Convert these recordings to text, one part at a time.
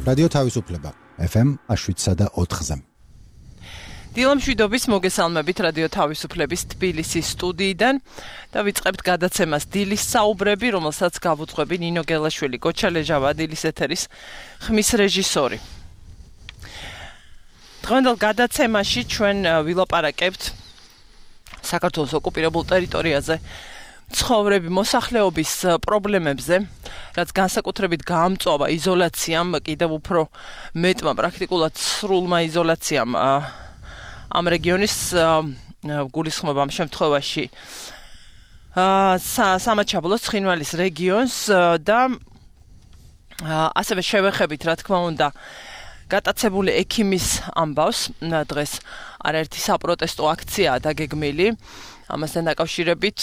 რადიო თავისუფლება FM 7.4-ზე. დილამშვიდობის მოგესალმებით რადიო თავისუფლების თბილისის სტუდიიდან და ვიწყებთ გადაცემას დილის საუბრები, რომელსაც გავუძღვები ნინო გელაშვილი, გოჩა ლეჟავა, დილის ეთერის ხმის რეჟისორი. დღევანდელ გადაცემაში ჩვენ ვილაპარაკებთ საქართველოს ოკუპირებულ ტერიტორიაზე ცხოვრები მოსახლეობის პრობლემებზე, რაც განსაკუთრებით გაამწვავა იზოლაციამ, კიდევ უფრო მეტმა პრაქტიკულად სრულმა იზოლაციამ ამ რეგიონის გულისხმობა ამ შემთხვევაში სამაჩაბლოს ცხინვალის რეგიონს და ასევე შევეხებით, რა თქმა უნდა, გატაცებული ექიმის ამბავს. დღეს არაერთი საპროტესტო აქციაა დაგეგმილი. ამასთან დაკავშირებით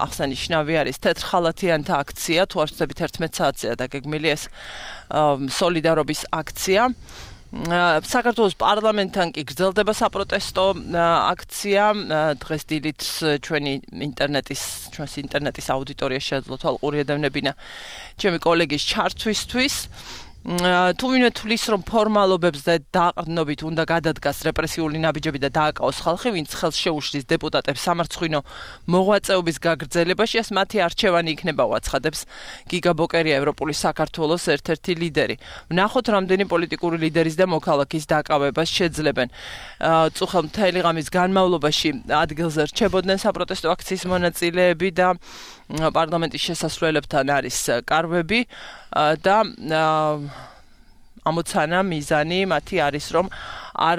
აღსანიშნავი არის თეთრხალათიანთა აქცია, თუ არ ვცდებით 11 საათზეა დაგეგმილი ეს სოლიდარობის აქცია. საქართველოს პარლამენტთან კი გრძელდება საპროტესტო აქცია. დღეს დილით ჩვენს ინტერნეტის აუდიტორია შეძლო თვალყური ედევნებინა ჩემი კოლეგის ჩართვისთვის. თუ ვინმე თulis რომ ფორმალობებზე დაყრდნობით უნდა გადადგას რეპრესიული ნაბიჯები და დააკავოს ხალხი, ვინც ხელს შეუშლის დეპუტატებს სამარცხვინო მოღვაწეობის გაგრძელებაში, ეს მათი არჩევანი იქნება, უაცხადებს გიგა ბოკერია, ევროპული საქართველოს ერთ-ერთი ლიდერი. ვნახოთ, რამდენი პოლიტიკური ლიდერის და მოქალაქის დაკავებას შეძლებენ. წუხელ მთელი ღამის განმავლობაში ადგილზე რჩებოდნენ საპროტესტო აქციის მონაწილეები და პარლამენტის შესასვლელებთან არის კარვები და ამოცანა მიზანი მათი არის, რომ არ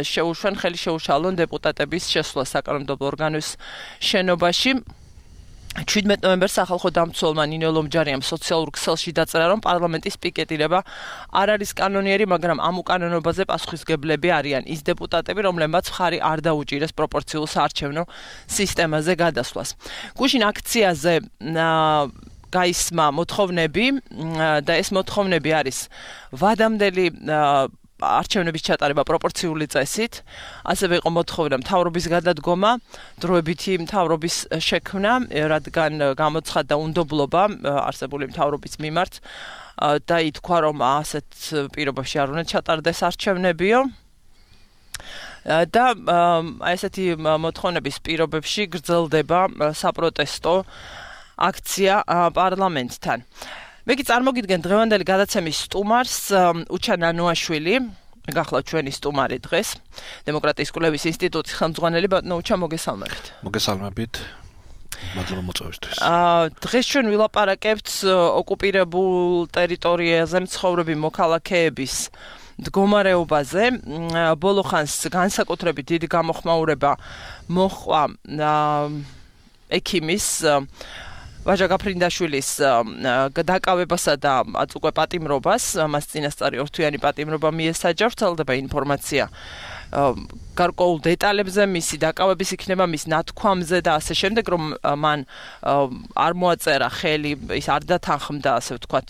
შეუშვენ, ხელი შეუშალონ დეპუტატების შესვლა საკანონმდებლო ორგანოს შენობაში. 17 ნოემბერს სახალხო დამცველმა ნინო ლომჯარიამ სოციალურ ქსელში დაწერა, რომ პარლამენტის პიკეტირება არ არის კანონიერი, მაგრამ ამ უკანონობაზე პასუხისმგებლები არიან ის დეპუტატები, რომლებმაც მხარი არ დაუჭირეს პროპორციულ საარჩევნო სისტემაზე გადასვლას. გუშინ აქციაზე გაისმა მოთხოვნები და ეს მოთხოვნები არის ვადამდელი არჩევნების ჩატარება პროპორციული წესით, ასევე იყო მოთხოვნა მთავრობის გადადგომა, დროებითი მთავრობის შექმნა, რადგან გამოცხადდა უნდობლობა არსებული მთავრობის მიმართ და ითქვა, რომ ასეთ პირობებში არ უნდა ჩატარდეს არჩევნებიო. და ესეთი მოთხოვნების პირობებში გრძელდება საპროტესტო აქცია პარლამენტთან. მე კი წარმოგიდგენ დღევანდელი გადაცემის სტუმარს, უჩა ნანოაშვილი, გახლავთ ჩვენი სტუმარი დღეს, დემოკრატიის კვლევის ინსტიტუტის ხელმძღვანელი. ბატონო უჩა, მოგესალმებით. მოგესალმებით. მადლობა მოწვევისთვის. დღეს ჩვენ ვილაპარაკებთ ოკუპირებულ ტერიტორიაზე მცხოვრები მოქალაქეების მდგომარეობაზე. ბოლო ხანს განსაკუთრებით დიდი გამოხმაურება მოჰყვა ექიმის ვაჟა გაფრინდაშვილის დაკავებასა და უკვე პატიმრობას, მას წინასწარი ორთვიანი პატიმრობა მიესაჯა. ვრცელდება ინფორმაცია გარკვეულ დეტალებზე, მისი დაკავების იქნება, მის ნათქვამზე და ასე შემდეგ, რომ მან არ მოაწერა ხელი, ის არ დათანხმდა, ასე ვთქვათ,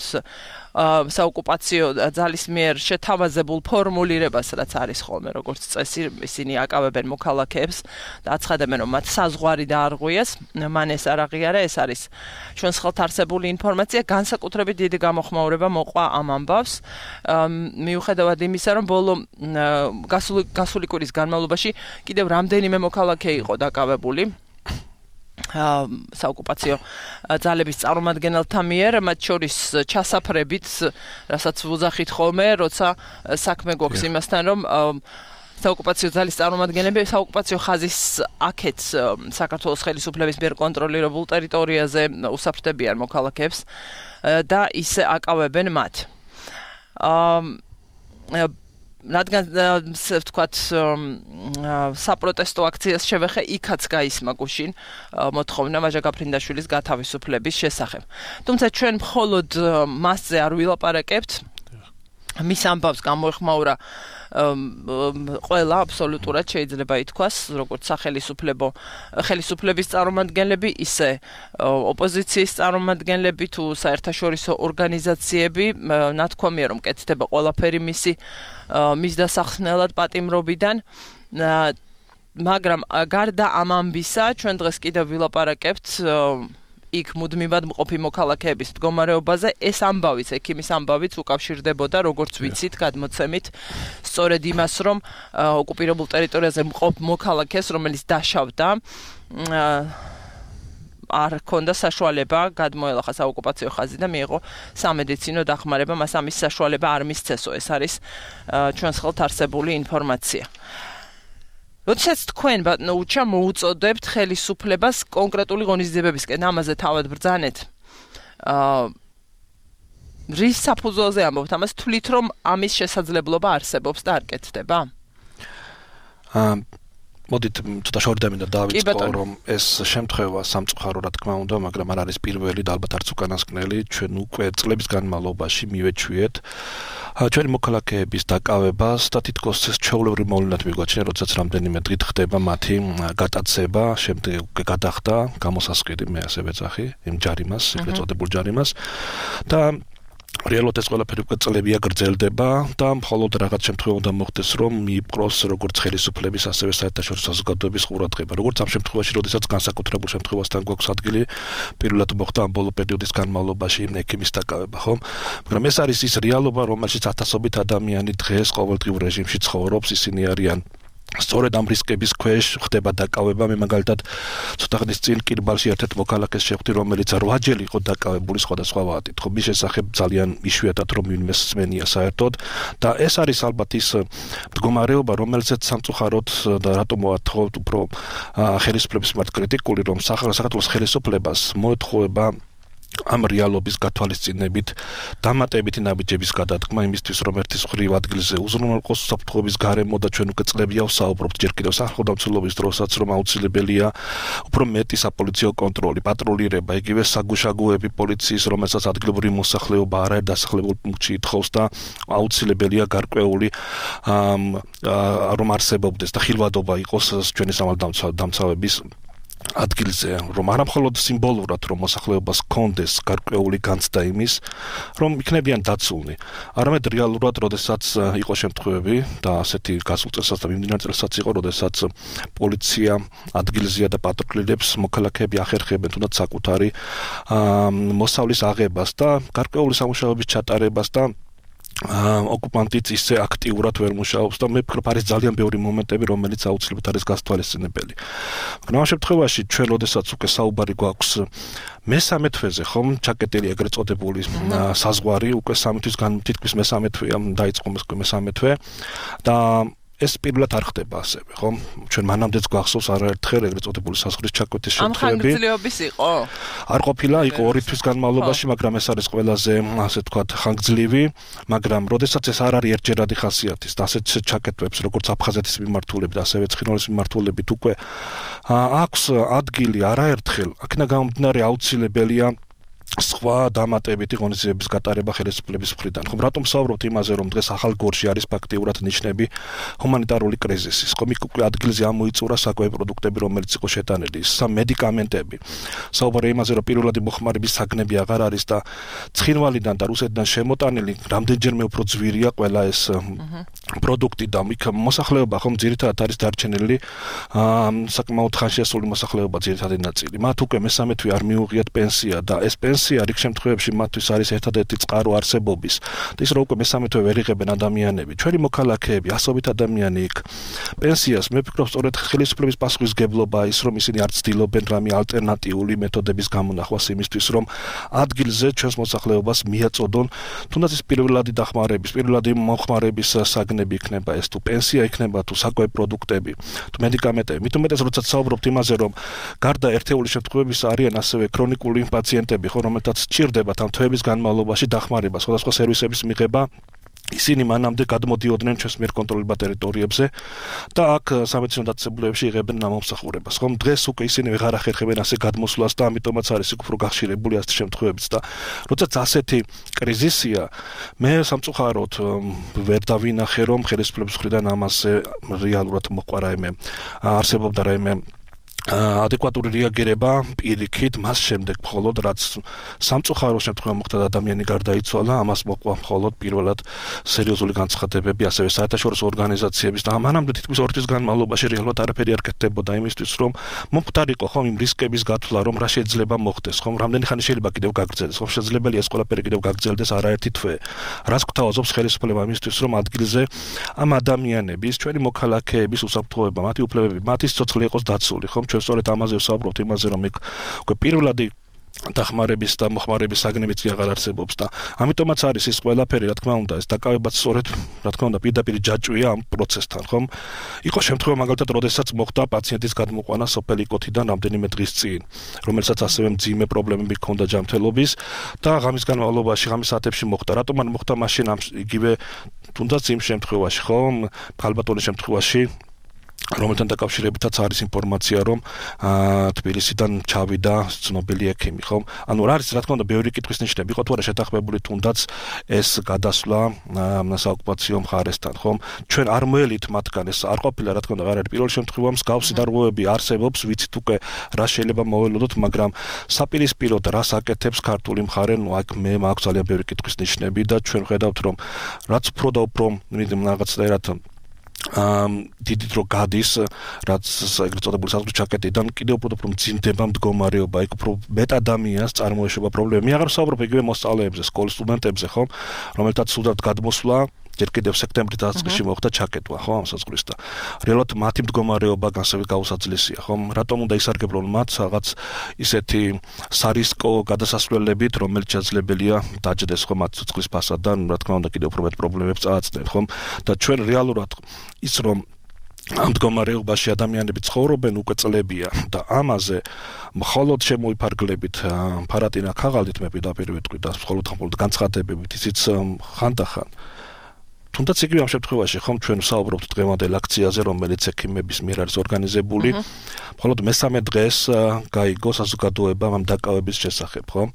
საოკუპაციო ძალის მიერ შეთავაზებულ ფორმულირებას, რაც არის ხოლმე როგორც წესი, ისინი აკავებენ მოქალაქეებს და აცხადებენ, რომ მათ საზღვარი დაარღვიეს. მან ეს არ აღიარა, ეს არის ჩვენს ხელთ არსებული ინფორმაცია. განსაკუთრებით დიდი გამოხმაურება მოყვა ამ ამბავს, მიუხედავად იმისა, რომ ბოლო გასული კვირის განმავლობაში კიდევ რამდენიმე მოქალაქე იყო დაკავებული საოკუპაციო ძალების წარმომადგენელთა მიერ, მათ შორის ჩასაფრებით, რასაც ვუძახით ხოლმე, როცა საქმე გვაქვს იმასთან, რომ საოკუპაციო ძალის წარმომადგენლები საოკუპაციო ხაზის აქეთ საქართველოს ხელისუფლების მიერ კონტროლირებულ ტერიტორიაზე უსაფრთხოებიან მოქალაქეებს და ისე აკავებენ მათ. რადგან ვთქვათ საპროტესტო აქციას შევეხე, იქაც გაისმა გუშინ მოთხოვნა ვაჟა გაფრინდაშვილის გათავისუფლების შესახებ. თუმცა ჩვენ მხოლოდ მასზე არ ვილაპარაკებთ. მის ამბავს გამოეხმაურა ყველა აბსოლუტურად შეიძლება ითქვას, როგორც ხელისუფლების წარმომადგენლები, ისე ოპოზიციის წარმომადგენლები თუ საერთაშორისო ორგანიზაციები. ნათქვამია, რომ კეთდება ყველაფერი მის დასახსნელად პატიმრობიდან. მაგრამ გარდა ამ ამბისა, ჩვენ დღეს კიდევ ვილაპარაკებთ იქ მუდმივად მყოფი მოქალაქეების მდგომარეობაზე, ეს ამბავიც, ექიმის ამბავიც უკავშირდებოდა, როგორც ვიცით, გადმოცემით, სწორედ იმას, რომ ოკუპირებულ ტერიტორიაზე მყოფ მოქალაქეს, რომელიც დაშავდა, არ ჰქონდა საშუალება გადმოელახა საოკუპაციო ხაზი და მიიღო სამედიცინო დახმარება, მას ამის საშუალება არ მისცესო. ეს არის ჩვენს ხელთ არსებული ინფორმაცია. როდესაც თქვენ ბატონო უჩა მოუწოდებთ ხელისუფლებას კონკრეტული ღონისძიებებისკენ, ამაზე თავად ბრძანეთ. რის საფუძველზე ამბობთ? ამას თვლით, რომ ამის შესაძლებლობა არსებობს და არ კეთდება? მოდით ცოტა შორდამინდა დავიწყო, რომ ეს შემთხვევა სამწუხარო რა თქმა უნდა, მაგრამ არ არის პირველი და ალბათ არც უკანასკნელი, ჩვენ უკვე წლების განმავლობაში მივეჩვიეთ ჩვენი მოქალაქეების დაკავებას და თითქოს ჩვეულებრივ მოვლენად მიგვაჩნია, როდესაც რამდენიმე დღით ხდება მათი გატაცება, შემდეგ უკვე გადახდა გამოსასყიდი, მე ასე ვეძახი, იმ ჯარიმას, ეგრეთ წოდებულ ჯარიმას და რეალურად ეს ყველაფერი უკვე წლებია გრძელდება და მხოლოდ რაღაც შემთხვევა უნდა მოხდეს, რომ მიიპყროს როგორც ხელისუფლების, ასევე საერთაშორისო საზოგადოების ყურადღება. როგორც ამ შემთხვევაში, როდესაც განსაკუთრებულ შემთხვევასთან გვაქვს ადგილი, პირველად მოხდა ამ ბოლო პერიოდის განმავლობაში ექიმის დაკავება, ხო? მაგრამ ეს არის ის რეალობა, რომელშიც ათასობით ადამიანი დღეს ყოველდღიურ რეჟიმში ცხოვრობს, ისინი არიან სწორედ ამ რისკების ქვეშ ხდება დაკავება. მე მაგალითად ცოტა ხნის წინ კირბალში ერთ-ერთ მოქალაქეს შევხვდი, რომელიც 8 ჯერ იყო დაკავებული სხვადასხვა ვადით. ხო, მის შესახებ ძალიან იშვიათად რომ ვინმე სმენია საერთოდ და ეს არის ალბათ ის მდგომარეობა, რომელზეც სამწუხაროდ და რატომ ვართ უფრო ხელისუფლების მიმართ კრიტიკული, რომ საქართველოს ხელისუფლებას მოეთხოვება ამ რეალობის გათვალისწინებით დამატებითი ნაბიჯების გადადგმა იმისთვის, რომ ერთის მხრივ ადგილზე უზრუნველყოს უსაფრთხოების გარემო და ჩვენ უკვე წლებია ვსაუბრობთ ჯერ კიდევ სახელმწიფოს დროსაც, რომ აუცილებელია უფრო მეტი საპოლიციო კონტროლი, პატრულირება, იგივე საგუშაგოები პოლიციის, რომელსაც ადგილობრივი მოსახლეობა არაერთ დასახლებულ პუნქტში ითხოვს და აუცილებელია გარკვეული რომ არსებობდეს და ხილვადობა იყოს ჩვენი სამართალდამცავების ადგილზე, რომ არა მხოლოდ სიმბოლურად რომ მოსახლეობას ჰქონდეს გარკვეული განცდა იმის, რომ იქნებიან დაცულნი, არამედ რეალურად, როდესაც იყო შემთხვევები და ასეთი გასულ წელსაც და მიმდინარე წელსაც იყო, როდესაც პოლიცია ადგილზეა და პატრულირებს, მოქალაქეები ახერხებენ თუნდაც საკუთარი მოსავლის აღებას და გარკვეული სამუშაოების ჩატარებას და ოკუპანტიც ისე აქტიურად ვერ მუშაობს და მე ვფიქრობ, არის ძალიან ბევრი მომენტები, რომელიც აუცილებლად არის გასათვალისწინებელი. მაგრამ ამ შემთხვევაში ჩვენ როდესაც უკვე საუბარი გვაქვს მესამე თვეზე, ხომ, ჩაკეტილი ეგრეთ წოდებული საზღვარი, უკვე 3 თვის თითქმის მესამე თვეა დაიწყო მესამე თვე და ეს პირველად არ ხდება ასევე, ხო? ჩვენ მანამდეც გვახსოვს არაერთხელ ეგრეთ წოდებული საზღვრის ჩაკვეთის შემთხვევები. ამ ხანგრძლივობის იყო? არ ყოფილა, იყო 2 თვის განმავლობაში, მაგრამ ეს არის ყველაზე, ასე ვთქვათ, ხანგრძლივი, მაგრამ როდესაც ეს არ არის ერთჯერადი ხასიათის და ასეთ ჩაკეტვებს, როგორც აფხაზეთის მიმართულებით, ასევე ცხინვალის მიმართულებით უკვე აქვს ადგილი არაერთხელ, აქედან გამომდინარე აუცილებელია სხვა დამატებითი ღონისძიებების გატარება ხელისუფლების მხრიდან. ხომ რატომ ვსაუბრობთ იმაზე, რომ დღეს ახალ გორში არის ფაქტიურად ნიშნები ჰუმანიტარული კრიზისის. ხომ იქ უკვე ადგილზე ამოიწურა საკვები პროდუქტები, რომელიც იყო შეტანილი, მედიკამენტები. საუბარია იმაზე, რომ პირველადი მოხმარების საგნები აღარ არის და ცხინვალიდან და რუსეთიდან შემოტანილი რამდენჯერმე უფრო ძვირია ყველა ეს პროდუქტი და იქ მოსახლეობა ხომ ძირითადად არის დარჩენილი საკმაოდ ხანშიასული მოსახლეობა ძირითადი ნაწილი. მათ უკვე მესამე თვე არ მიუღიათ პენსია და ეს პენსია რიგ შემთხვევებში მათთვის არის ერთადერთი წყარო არსებობის. და ის რომ უკვე მესამე თვე ვერ იღებენ ადამიანები, ჩვენი მოქალაქეები, ასობით ადამიანი იქ პენსიას, მე ვფიქრობ, სწორედ ხელისუფლების პასუხისმგებლობა ის, რომ ისინი არ ცდილობენ რამე ალტერნატიული მეთოდების გამონახვას იმისთვის, რომ ადგილზე ჩვენს მოსახლეობას მიაწოდონ, თუნდაც ის პირველადი დახმარების, პირველადი მოხმარების საგნები იქნება ეს, თუ პენსია იქნება, თუ საკვები პროდუქტები, თუ მედიკამენტები. მით უმეტეს, როდესაც საუბრობთ იმაზე, რომ გარდა ერთეული შემთხვევებისა არიან ასევე ქრონიკული პაციენტები, რომელთაც სჭირდებათ ამ თვეების განმავლობაში დახმარება, სხვადასხვა სერვისების მიღება, ისინი მანამდე გადმოდიოდნენ ჩვენს მიერ კონტროლებულ ტერიტორიებზე და აქ სამედიცინო დაწესებულებებში იღებენ ნამომსახურებას. ხომ დღეს უკვე ისინი ვეღარ ახერხებენ ასე გადმოსვლას და ამიტომაც არის უფრო გახშირებული ასეთი შემთხვევებიც და როდესაც ასეთი კრიზისია, მე სამწუხაროდ ვერ დავინახე, რომ ხელისუფლების მხრიდან ამაზე რეალურად მოყვა რაიმე არსებობდა რაიმე ადეკვატური რეაგირება პირიქით მას შემდეგ მხოლოდ რაც სამწუხარო შემთხვევა მოხდა და ადამიანი გარდაიცვალა ამას მოყვა მხოლოდ პირველად სერიოზული განცხადებები ასევე საერთაშორისო ორგანიზაციების და მანამდე თითქმის 2 თვის განმავლობაში რეალურად არაფერი არ კეთდებოდა იმისთვის რომ მომხდარიყო ხომ იმ რისკების გათვლა რომ რა შეიძლება მოხდეს ხომ რამდენი ხანი შეიძლება კიდევ გაგრძელდეს ხომ შესაძლებელია ეს ყველაფერი კიდევ გაგრძელდეს არაერთი თვე რას გვთავაზობს ხელისუფლება იმისთვის რომ ადგილზე ამ ადამიანების ჩვენი მოქალაქეების უსაფრთხოება მათი უფლებები მათი სიცოცხლე იყოს დაცული ხომ ჩვენ სწორედ ამაზე ვსაუბრობთ იმაზე რომ უკვე პირველადი დახმარების და მოხმარების საგნებიც აღარ არსებობს და ამიტომაც არის ის ყველაფერი რა თქმა უნდა ეს დაკავებაც სწორედ რა თქმა უნდა პირდაპირ ჯაჭვია ამ პროცესთან ხომ იყო შემთხვევა მაგალითად როდესაც მოხდა პაციენტის გადმოყვანა სოფელი კოთიდან რამდენიმე დღის წინ რომელსაც ასევე მძიმე პრობლემები ჰქონდა ჯანმრთელობის და ღამის განმავლობაში ღამის საათებში მოხდა რატომ არ მოხდა მაშინ ამ იგივე თუნდაც იმ შემთხვევაში ხომ ქალბატონის შემთხვევაში რომელთან დაკავშირებითაც არის ინფორმაცია რომ თბილისიდან ჩავიდა ცნობილი ექიმი ხომ ანუ რა არის რა თქმა უნდა ბევრი კითხვის ნიშნები იყო თუ არა შეთანხმებული თუნდაც ეს გადასვლა საოკუპაციო მხარესთან ხომ ჩვენ არ მოელით მათგან ეს არ ყოფილა რა თქმა უნდა არ არის პირველ შემთხვევაში მსგავსი დარღვევები არსებობს ვიცით უკვე რა შეიძლება მოველოდოთ მაგრამ საპირისპიროდ რას აკეთებს ქართული მხარე ნუ აქ მე მაქვს ძალიან ბევრი კითხვის ნიშნები და ჩვენ ხედავთ რომ რაც უფრო და უფრო რაღაცნაირად დიდი დრო გადის რაც ეგრეთ წოდებული საზღვრის ჩაკეტიდან კიდევ უფრო მძიმდება მდგომარეობა იქ უფრო მეტ ადამიანს წარმოეშვება პრობლემა მე აღარ ვსაუბრობ იგივე მოსწავლეებზე სკოლის სტუდენტებზე ხომ რომელთაც სულაც გადმოსვლა ჯერ კიდევ სექტემბრის დასაწყისში მოხდა ჩაკეტვა ხო ამ საზღვრის და რეალურად მათი მდგომარეობა განსაკუთრებით გაუსაძლესია ხომ რატომ უნდა ისარგებლონ მათ რაღაც ისეთი სარისკო გადასასვლელებით რომელიც შესაძლებელია დაჯდეს ხო მათ ცოცხლის ფასადან რა თქმა უნდა კიდევ უფრო მეტ პრობლემებს წააწნენ ხომ და ჩვენ რეალურად ის რომ ამ მდგომარეობაში ადამიანები ცხოვრობენ უკვე წლებია და ამაზე მხოლოდ შემოიფარგლებით ფარატინა ქაღალდით მე პირდაპირ ვიტყვი და მხოლოდ განცხადებებით ისიც ხანდახან თუნდაც იგივე ამ შემთხვევაში ხომ ჩვენ ვსაუბრობთ დღევანდელ აქციაზე რომელიც ექიმების მიერ არის ორგანიზებული მხოლოდ მესამე დღეს გაიგო საზოგადოება ამ დაკავების შესახებ ხომ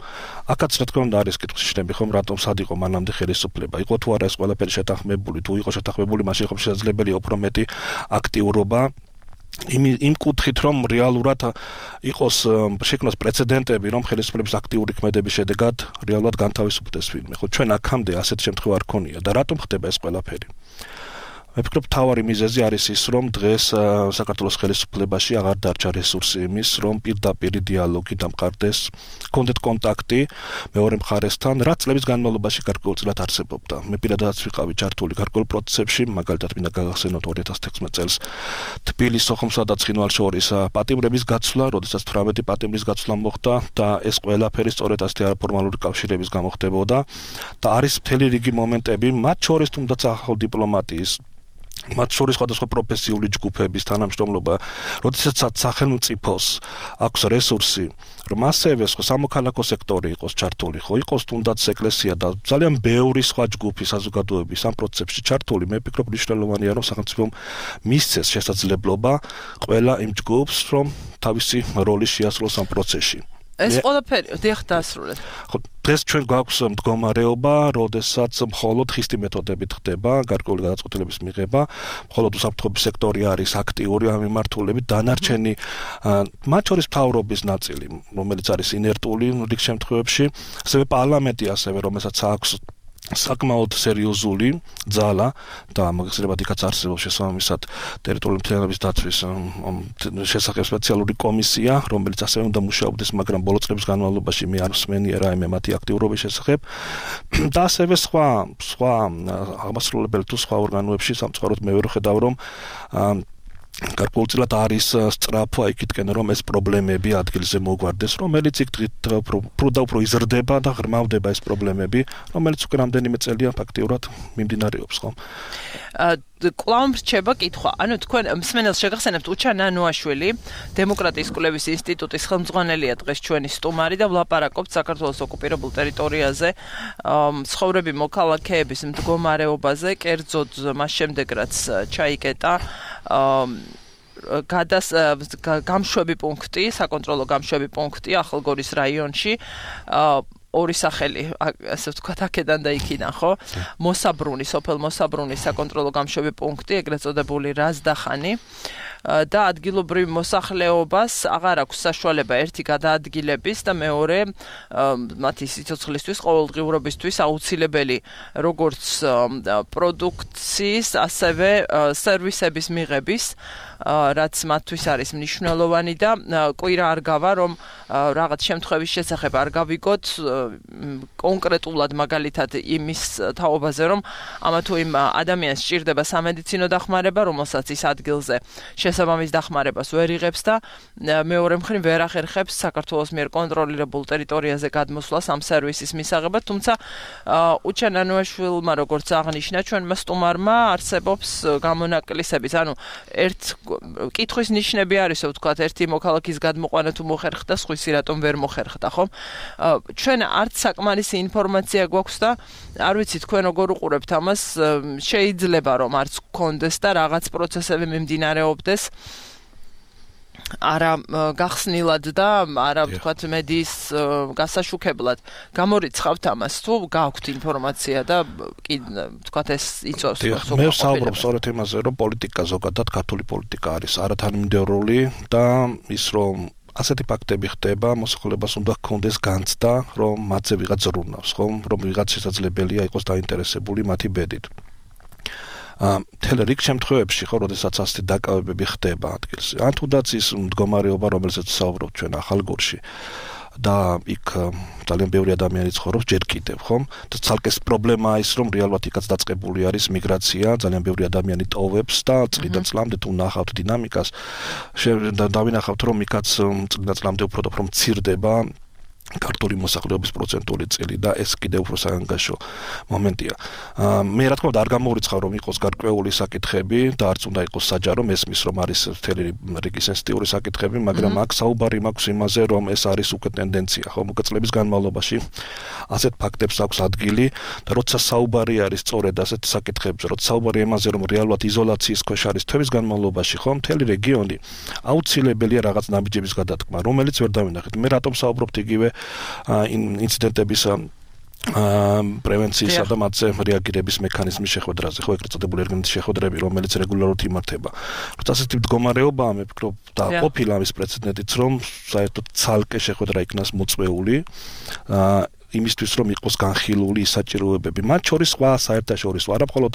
აქაც რა თქმა უნდა არის კითხვის ნიშნები ხომ რატომ სად იყო მანამდე ხელისუფლება იყო თუ არა ეს ყველაფერი შეთანხმებული თუ იყო შეთანხმებული მაშინ ხომ შესაძლებელია უფრო მეტი აქტიურობა იმ კუთხით რომ რეალურად იყოს შექმნას პრეცედენტები რომ ხელისუფლების აქტიური ქმედების შედეგად რეალურად განთავისუფლდეს ვინმე ხო ჩვენ აქამდე ასეთ შემთხვევა არ ქონია და რატომ ხდება ეს ყველაფერი მე ვფიქრობ თავარი მიზეზი არის ის რომ დღეს საქართველოს ხელისუფლებაში აღარ დარჩა რესურსი იმის რომ პირდაპირ დიალოგი დამყარდეს კონდეთ კონტაქტი მეორე მხარესთან რაც წლების განმავლობაში გარკვეულწილად არსებობდა მე პირადადაც ვიყავი ჩართული გარკვეულ პროცესებში მაგალითად მინდა გაგახსენოთ 2016 წელს თბილისის სოხუმსა და ცხინვალშორის პატიმრების გაცვლა როდესაც 18 პატიმრის გაცვლა მოხდა და ეს ყველაფერი სწორედ ასეთი არაფორმალური კავშირების გამო ხდებოდა და არის მთელი რიგი მომენტები მათ შორის თუნდაც ახალ დიპლომატიის მათ შორის სხვადასხვა პროფესიული ჯგუფების თანამშრომლობა, როდესაც სახელმწიფოს აქვს რესურსი, რომ ასევე სამოქალაქო სექტორი იყოს ჩართული, ხო, იყოს თუნდაც ეკლესია და ძალიან ბევრი სხვა ჯგუფი საზოგადოების ამ პროცესში ჩართული, მე ვფიქრობ მნიშვნელოვანია, რომ სახელმწიფომ მისცეს შესაძლებლობა ყველა იმ ჯგუფს, რომ თავისი როლი შეასრულოს ამ პროცესში. ეს ყველაფერი დიახ დაასრულეთ. ხო, დღეს ჩვენ გვაქვს მდგომარეობა, როდესაც მხოლოდ ხისტი მეთოდებით ხდება გარკვეული გადაწყვეტილების მიღება, მხოლოდ უსაფრთხოების სექტორი არის აქტიური ამ მიმართულებით, დანარჩენი მათ შორის მთავრობის ნაწილი, რომელიც არის ინერტული რიგ შემთხვევებში, ასევე პარლამენტი ასევე, რომელსაც აქვს საკმაოდ სერიოზული ძალა და მაგალითად იქაც არსებობს შესაბამისად ტერიტორიული მთლიანობის დაცვის შესახებ სპეციალური კომისია, რომელიც ასევე უნდა მუშაობდეს, მაგრამ ბოლო წლების განმავლობაში მე არ მსმენია რაიმე მათი აქტიურობის შესახებ და ასევე სხვა აღმასრულებელი თუ სხვა ორგანოებში სამწუხაროდ მე ვერ ხედავ რომ გარკვეულწილად არის სწრაფვა იქითკენ რომ ეს პრობლემები ადგილზე მოგვარდეს, რომელიც იქ უფრო იზრდება და ღრმავდება ეს პრობლემები, რომელიც უკვე რამდენიმე წელია ფაქტიურად მიმდინარეობს, ხო? კვლავ რჩება კითხვა. ანუ თქვენ მსმენელს შეგახსენებთ უჩა ნანუაშვილი, დემოკრატიის კვლევის ინსტიტუტის ხელმძღვანელია დღეს ჩვენი სტუმარი და ვლაპარაკობთ საქართველოს ოკუპირებულ ტერიტორიაზე ცხოვრები მოქალაქეების მდგომარეობაზე, კერძოდ მას შემდეგ რაც ჩაიკეტა გამშვები პუნქტი, საკონტროლო გამშვები პუნქტი ახალგორის რაიონში. ორი სახელი, ასე ვთქვათ, აქედან და იქიდან, ხო? მოსაბრუნი, სოფელ მოსაბრუნის საკონტროლო გამშვები პუნქტი, ეგრეთ წოდებული რაზდახანი და ადგილობრივ მოსახლეობას აღარ აქვს საშუალება ერთი გადაადგილების და მეორე მათი სიცოცხლისთვის, ყოველდღიურობისთვის აუცილებელი როგორც პროდუქციის, ასევე სერვისების მიღების, რაც მათთვის არის მნიშვნელოვანი და კვირა არ გავა, რომ რაღაც შემთხვევის შესახებ არ გავიგოთ კონკრეტულად მაგალითად იმის თაობაზე, რომ ამა თუ იმ ადამიანს სჭირდება სამედიცინო დახმარება, რომელსაც ის ადგილზე შესაბამის დახმარებას ვერ იღებს და მეორე მხრივ ვერ ახერხებს საქართველოს მიერ კონტროლირებულ ტერიტორიაზე გადმოსვლას ამ სერვისის მისაღებად, თუმცა უჩენ ანუაშვილმა როგორც აღნიშნა, ჩვენმა სტუმარმა არსებობს გამონაკლისებიც, ანუ ერთ კითხვის ნიშნები არის, ვთქვათ, ერთი მოქალაქის გადმოყვანა თუ მოხერხდა, სხვისი რატომ ვერ მოხერხდა, ხო? ჩვენ არც საკმარისი ინფორმაცია გვაქვს და არ ვიცი თქვენ როგორ უყურებთ ამას, შეიძლება რომ არც გქონდეს და რაღაც პროცესები მიმდინარეობდეს არა გახსნილად და არა ვთქვათ მედიის გასაშუქებლად. გამორიცხავთ ამას თუ გაქვთ ინფორმაცია და ვთქვათ ეს იწევს მე ვსაუბრობ სწორედ იმაზე, რომ პოლიტიკა ზოგადად ქართული პოლიტიკა არის არათანმიმდევრული და ის რომ ასეთი ფაქტები ხდება, მოსახლეობას უნდა ჰქონდეს განცდა, რომ მათზე ვიღაც ზრუნავს, ხო? რომ ვიღაც შესაძლებელია იყოს დაინტერესებული მათი ბედით. მთელ რიგ შემთხვევებში, ხო, როდესაც ასეთი დაკავებები ხდება ადგილზე. ან თუნდაც ის მდგომარეობა, რომელზეც ვსაუბრობთ ჩვენ ახალგორში და იქ ძალიან ბევრი ადამიანი ცხოვრობს ჯერ კიდევ, ხო? და ცალკე პრობლემაა ის, რომ რეალურად იქაც დაწყებული არის მიგრაცია, ძალიან ბევრი ადამიანი ტოვებს და წლიდან წლამდე თუ ნახავთ დინამიკას, დავინახავთ, რომ იქაც წლიდან წლამდე უფრო და უფრო მცირდება ქართული მოსახლეობის პროცენტული წილი და ეს კიდევ უფრო საანგაშო მომენტია. მე რა თქმა უნდა არ გამოვრიცხავ რომ იყოს გარკვეული საკითხები და არც უნდა იყოს საჯარო, მესმის რომ არის მთელი რიგი სენსიტიური საკითხები, მაგრამ აქ საუბარი მაქვს იმაზე, რომ ეს არის უკვე ტენდენცია, ხო, მოკლე წლების განმავლობაში ასეთ ფაქტებს აქვს ადგილი და როცა საუბარი არის სწორედ ასეთ საკითხებზე, როცა საუბარი იმაზე, რომ რეალურად იზოლაციის ქვეშ არის თვეების განმავლობაში, ხო, მთელი რეგიონი აუცილებელია რაღაც ნაბიჯების გადადგმა, რომელიც ვერ დავინახეთ. მე რატომ საუბრობთ იგივე ინციდენტების პრევენციისა და მათზე რეაგირების მექანიზმის შეხვედრაზე, ხო, ეგრეთ წოდებული ერგენების შეხვედრები, რომელიც რეგულარულად იმართება. როცა ასეთი მდგომარეობაა, მე ვფიქრობ და ყოფილა ამის პრეცედენტიც, რომ საერთოდ ცალკე შეხვედრა იქნას მოწვეული იმისთვის რომ იყოს განხილული საჭიროებები. მათ შორის სხვა საერთაშორისო არა მხოლოდ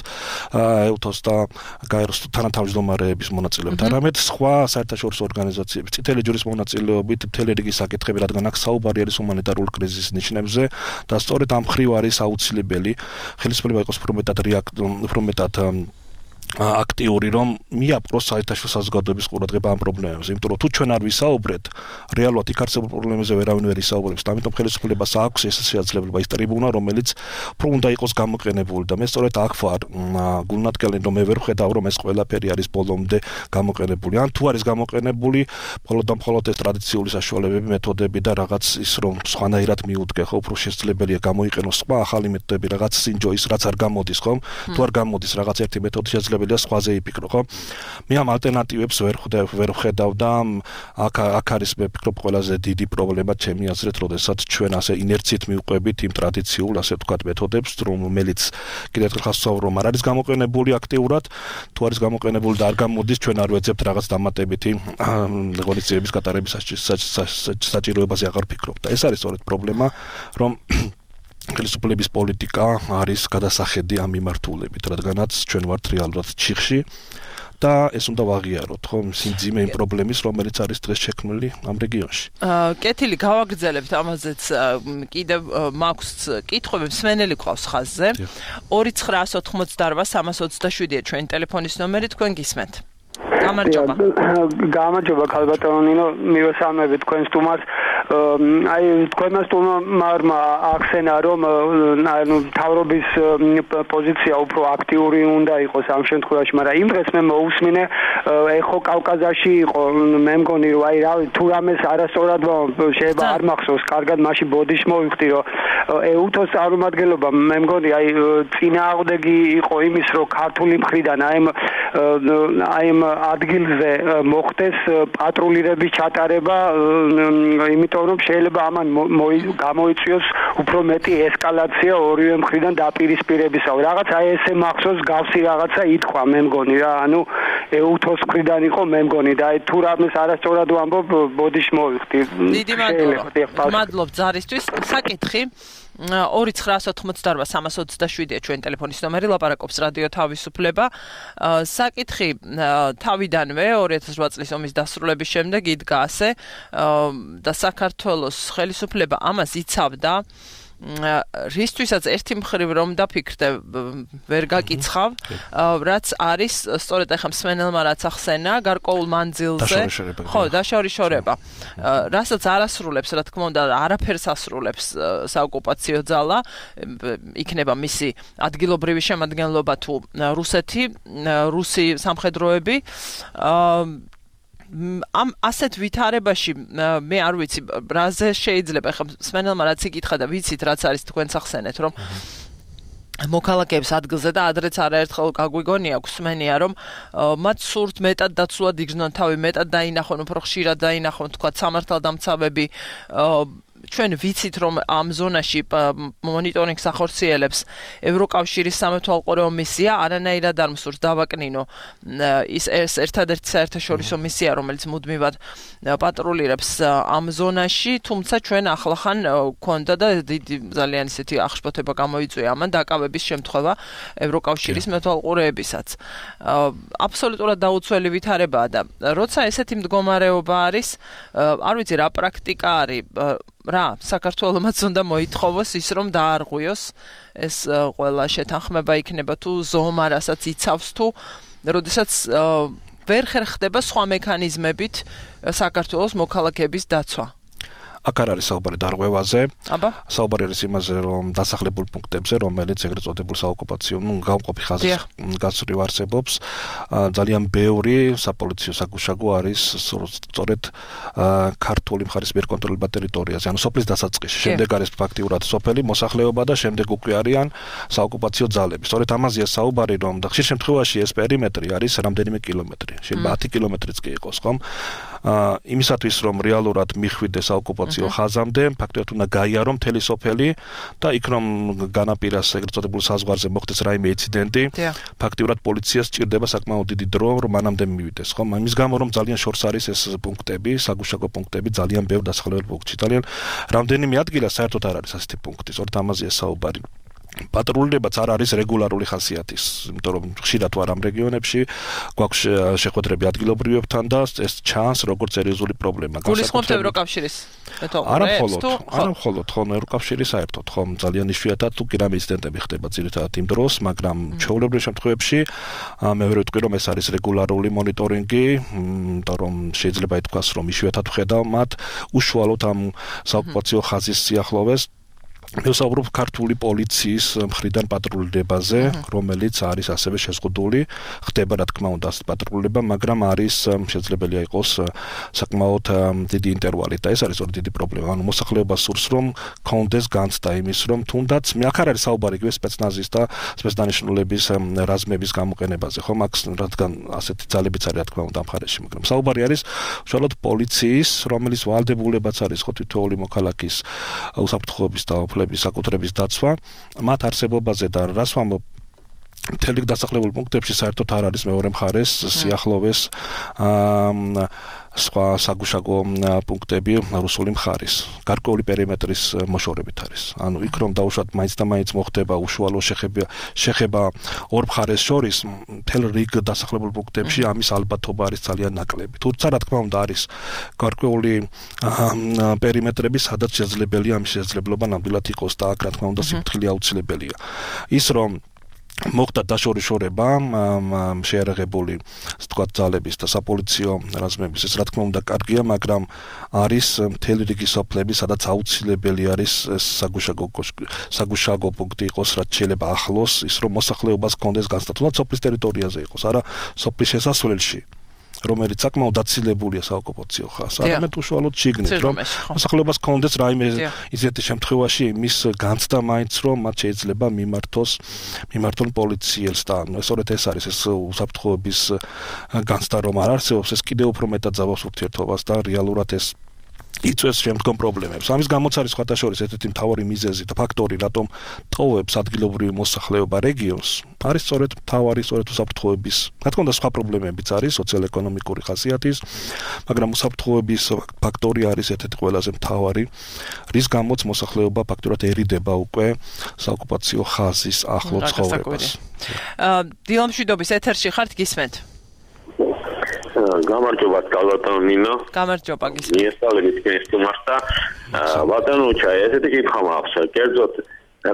ეუთოს და გაეროს თანათავმჯდომარეების მონაწილეობით, არამედ სხვა საერთაშორისო ორგანიზაციების, წითელი ჯვრის მონაწილეობით მთელი რიგი საკითხები, რადგან აქ საუბარი არის ჰუმანიტარული კრიზისის ნიშნებზე და სწორედ ამ მხრივ არის აუცილებელი ხელისუფლება იყოს უფრო მეტად აქტიური, რომ მიაპყროს საერთაშორისო საზოგადოების ყურადღება ამ პრობლემებზე, იმიტომ რომ თუ ჩვენ არ ვისაუბრეთ, რეალურად იქ არსებულ პრობლემებზე ვერავინ ვერ ისაუბრებს, და ამიტომ ხელისუფლებას აქვს ეს შესაძლებლობა, ის ტრიბუნა, რომელიც უფრო უნდა იყოს გამოყენებული და მე სწორედ აქ ვარ გულნათგელი, რომ მე ვერ ვხედავ, რომ ეს ყველაფერი არის ბოლომდე გამოყენებული. ან თუ არის გამოყენებული, მხოლოდ ეს ტრადიციული საშუალებები, მეთოდები და რაღაც ის რომ სხვანაირად მიუდგე, ხო, უფრო შესაძლებელია გამოიყენოს სხვა ახალი მეთოდები, რაღაც სინჯო ის რაც არ გამოდის, ხო? თუ არ გამოდის რაღაც ერთი მეთოდი შესაძლებელი სხვაზე იფიქრო, ხო? მე ამ ალტერნატივებს ვერ ვხედავ და აქ არის მე ვფიქრობ ყველაზე დიდი პრობლემა ჩემი აზრით, როდესაც ჩვენ ასე ინერციით მივყვებით იმ ტრადიციულ, ასე ვთქვათ, მეთოდებს, რომელიც კიდევ ერთხელ ხასწავ რომ არ არის გამოყენებული აქტიურად, თუ არის გამოყენებული და არ გამოდის, ჩვენ არ ვეძებთ რაღაც დამატებითი ღონისძიების გატარების საჭიროებაზე აღარ ვფიქრობ. და ეს არის სწორედ პრობლემა, რომ ხელისუფლების პოლიტიკა არის გადასახედი ამ მიმართულებით, რადგანაც ჩვენ ვართ რეალურად ჩიხში და ეს უნდა ვაღიაროთ, ხო, სიმძიმე იმ პრობლემის, რომელიც არის დღეს შექმნილი ამ რეგიონში. კეთილი გავაგრძელებთ ამაზეც კიდევ მაქვს კითხვები, მსმენელი ყავს ხაზზე. 2988-327-ია ჩვენი ტელეფონის ნომერი, თქვენ გისმენთ. გამარჯობა. გამარჯობა ქალბატონო ნინო, მივესალმები თქვენ სტუმარს. აი თქვენმა სტუმარმა ახსენა რომ თავრობის პოზიცია უფრო აქტიური უნდა იყოს ამ შემთხვევაში, მაგრამ იმ დღეს მე მოусმინე ეხო კავკაზიაში იყო, მე მგონი რომ აი რავი თუ რამეს არასწორად შეიძლება არ მახსოვს კარგად, მაშინ ბოდიშ მოვიხდი რომ ეუთოს წარმომადგენლობა მე მგონი აი წინააღმდეგი იყო იმის რომ ქართული მხრიდან აი აი ამ ადგილზე მოხდეს პატრულირების ჩატარება, იმიტომ რომ შეიძლება ამან გამოიწვიოს უფრო მეტი ესკალაცია ორივე მხრიდან დაპირისპირებისა. რაღაც აი ესე მახსოვს გავსი რაღაცა ითქვა მე მგონი რა, ანუ ეუთოს მხრიდან იყო მე მგონი და აი თუ რამეს არასწორად ვამბობ, ბოდიში მოვიხდი. დიდი მადლობა ზარისთვის. საკითხი 2988-327-ია ჩვენი ტელეფონის ნომერი, ლაპარაკობს რადიო თავისუფლება. საკითხი თავიდანვე 2008 წლის ომის დასრულების შემდეგ იდგა ასე და საქართველოს ხელისუფლება ამას იცავდა. რისთვისაც ერთი მხრივ რომ დაფიქრდე ვერ გაკიცხავ, რაც არის სწორედ ახლა მსმენელმა რაც ახსენა გარკვეულ მანძილზე, ხო, დაშორიშორება. რასაც არასრულებს, რა თქმა უნდა, არაფერს ასრულებს საოკუპაციო ძალა, იქნება მისი ადგილობრივი შემადგენლობა თუ რუსი სამხედროები. ამ ასეთ ვითარებაში მე არ ვიცი რაზე შეიძლება ახლა სმენელმა რაც იკითხა და ვიცით რაც არის თქვენც ახსენეთ რომ მოქალაქეებს ადგილზე და ადრეც არაერთხელ გაგვიგონია გვსმენია რომ მათ სურთ მეტად დაცულად იგრძნონ თავი, მეტად დაინახონ, უფრო ხშირად დაინახონ თქვა სამართალდამცავები. ჩვენ ვიცით რომ ამ ზონაში მონიტორინგს ახორციელებს ევროკავშირის სამეთვალყურეო მისია, არანაირად არ მსურს დავაკნინო ის ერთადერთი საერთაშორისო მისია, რომელიც მუდმივად პატრულირებს ამ ზონაში, თუმცა ჩვენ ახლახან გვქონდა და დიდი ძალიან ისეთი აღშფოთება გამოიწვია ამან დაკავების შემთხვევა ევროკავშირის მეთვალყურეებისაც. აბსოლუტურად დაუცველი ვითარებაა და როცა ესეთი მდგომარეობა არის, არ ვიცი რა პრაქტიკა არის რა, საქართველოსაც უნდა მოითხოვოს ის რომ დაარღვიოს ეს ყველა შეთანხმება იქნება თუ ზომა რასაც იცავს თუ როდესაც ვერ ხერხდება სხვა მექანიზმებით საქართველოს მოქალაქეების დაცვა. აქ არ არის საუბარი დარღვევაზე. საუბარი არის იმაზე, რომ დასახლებულ პუნქტებზე, რომელიც ეგრეთ წოდებულ საოკუპაციო, გამყოფი ხაზის გასწვრივ არსებობს, ძალიან ბევრი საპოლიციო საგუშაგო არის სწორედ ქართული მხარის მიერ კონტროლირებულ ტერიტორიაზე, ანუ სოფლის დასაწყისში. შემდეგ არის ფაქტიურად სოფელი მოსახლეობა და შემდეგ უკვე არიან საოკუპაციო ძალები. სწორედ ამაზეა საუბარი, რომ და ხშირ შემთხვევაში ეს პერიმეტრი არის რამდენიმე კილომეტრი. შეიძლება 10 კილომეტრიც კი იყოს, ხომ? იმისათვის რომ რეალურად მიხვიდდეს საოკუპაციო ხაზამდე, ფაქტობრივად უნდა გაიარო მთელი სოფელი და იქ რომ განაპირას ეგრეთ წოდებულ საზღვარზე მოხდეს რაიმე ინციდენტი, ფაქტობრივად პოლიციას სჭირდება საკმაოდ დიდი დრო, რომ მანამდე მივიდეს, ხომ? იმის გამო რომ ძალიან შორს არის ეს პუნქტები, საგუშაგო პუნქტები, ძალიან ბევრ დასახლებულ პუნქტში. ძალიან რამდენიმე ადგილას საერთოდ არ არის ასეთი პუნქტი, სწორედ ამაზეა საუბარი. პატრულირებაც არ არის რეგულარული ხასიათის, იმიტომ რომ ხშირად ვარ ამ რეგიონებში, გვაქვს შეხვედრები ადგილობრივებთან და ეს ჩანს როგორც სერიოზული პრობლემა. გულისხმობთ ევროკავშირის მეთვალყურეებს თუ არა მხოლოდ ხო ევროკავშირის საერთოდ ხო ძალიან იშვიათად თუ კი რამე ინციდენტები ხდება ძირითადად იმ დროს, მაგრამ ჩვეულებრივ შემთხვევებში მე ვერ ვიტყვი რომ ეს არის რეგულარული მონიტორინგი, იმიტომ რომ შეიძლება ითქვას რომ იშვიათად ვხედავ მათ უშუალოდ ამ საოკუპაციო ხაზის სიახლოვეს. მე ვსაუბრობ ქართული პოლიციის მხრიდან პატრულირებაზე, რომელიც არის ასევე შეზღუდული, ხდება რა თქმა უნდა პატრულირება, მაგრამ არის შესაძლებელია იყოს საკმაოდ დიდი ინტერვალი და ეს არის ორი დიდი პრობლემა. ანუ მოსახლეობა სურს რომ კონდეს განცდა იმის რომ თუნდაც მე აქ არ არის საუბარი იგივე სპეცნაზის და სპეცდანიშნულების რაზმების გამოყენებაზე, ხო, მაგ რადგან ასეთი ძალებიც არის რა თქმა უნდა ამ მხარეში, მაგრამ საუბარი არის უშუალოდ პოლიციის, რომელიც ვალდებულებაც არის ხო თითოეული მოქალაქის უსაფრთხოების და საკუთრების დაცვა, მათ არსებობაზე და რას ვამბობ მთელი დასახლებულ პუნქტებში საერთოდ არ არის მეორე მხარეს სიახლოვეს სხვა საგუშაგო პუნქტები რუსული მხარის. გარკვეული პერიმეტრის მოშორებით არის. ანუ იქ რომ დაუშვათ მაინც და მაინც მოხდება უშუალო შეხება ორ მხარეს შორის, მთელ რიგ დასახლებულ პუნქტებში ამის ალბათობა არის ძალიან ნაკლები. თუმცა რა თქმა უნდა არის გარკვეული პერიმეტრები, სადაც შესაძლებელია ამის შესაძლებლობა ნამდვილად იყოს და აქ რა თქმა უნდა სიფრთხილე აუცილებელია. ის რომ მოხდა დაშორიშორება შეერაღებული თქვა ძალების და sapolicio რაზმების ეს რა თქმა უნდა კარგია, მაგრამ არის მთელი რიგი სოფლები, სადაც აუცილებელი არის საგუშაგო პუნქტი იყოს, რაც შეიძლება ახლოს, ის რომ მოსახლეობას კონდეს განსაცდელად სოფლის ტერიტორიაზე იყოს, არა სოფლის შესასვლელში. რომელიც საკმაოდ დაცილებულია საოკუპაციო ხაზს. არამედ უშუალოდ შიგნით, რომ მოსახლეობას კონდეს რაიმე ისეთი შემთხვევაში მის განცდა მაინც რომ მათ შეიძლება მიმართონ პოლიციელს და სწორედ ეს არის ეს უსაფრთხოების განცდა რომ არ არსებობს, ეს კიდევ უფრო მეტად ზავავს ურთიერთობას და რეალურად ეს იწვევს შემდგომ პრობლემებს. ამის გამოც არის სხვათა შორის ერთ-ერთი მთავარი მიზეზი და ფაქტორი, რატომ ტოვებს ადგილობრივი მოსახლეობა რეგიონს, არის სწორედ უსაფრთხოების. რა თქმა უნდა, სხვა პრობლემებიც არის, სოციალ-ეკონომიკური ხასიათის, მაგრამ უსაფრთხოების ფაქტორი არის ერთ-ერთი ყველაზე მთავარი, რის გამოც მოსახლეობა ფაქტურად ერიდება უკვე საოკუპაციო ხაზის ახლო ცხოვრებას. დილა მშვიდობის ეთერში ხართ, გისმენთ? გამარჯობა ბატონო ნინო. გამარჯობა გისმენთ. მიესალმებით კენსტუმარს და ბატონო ესეთი კითხვა მაქვს. კერძოდ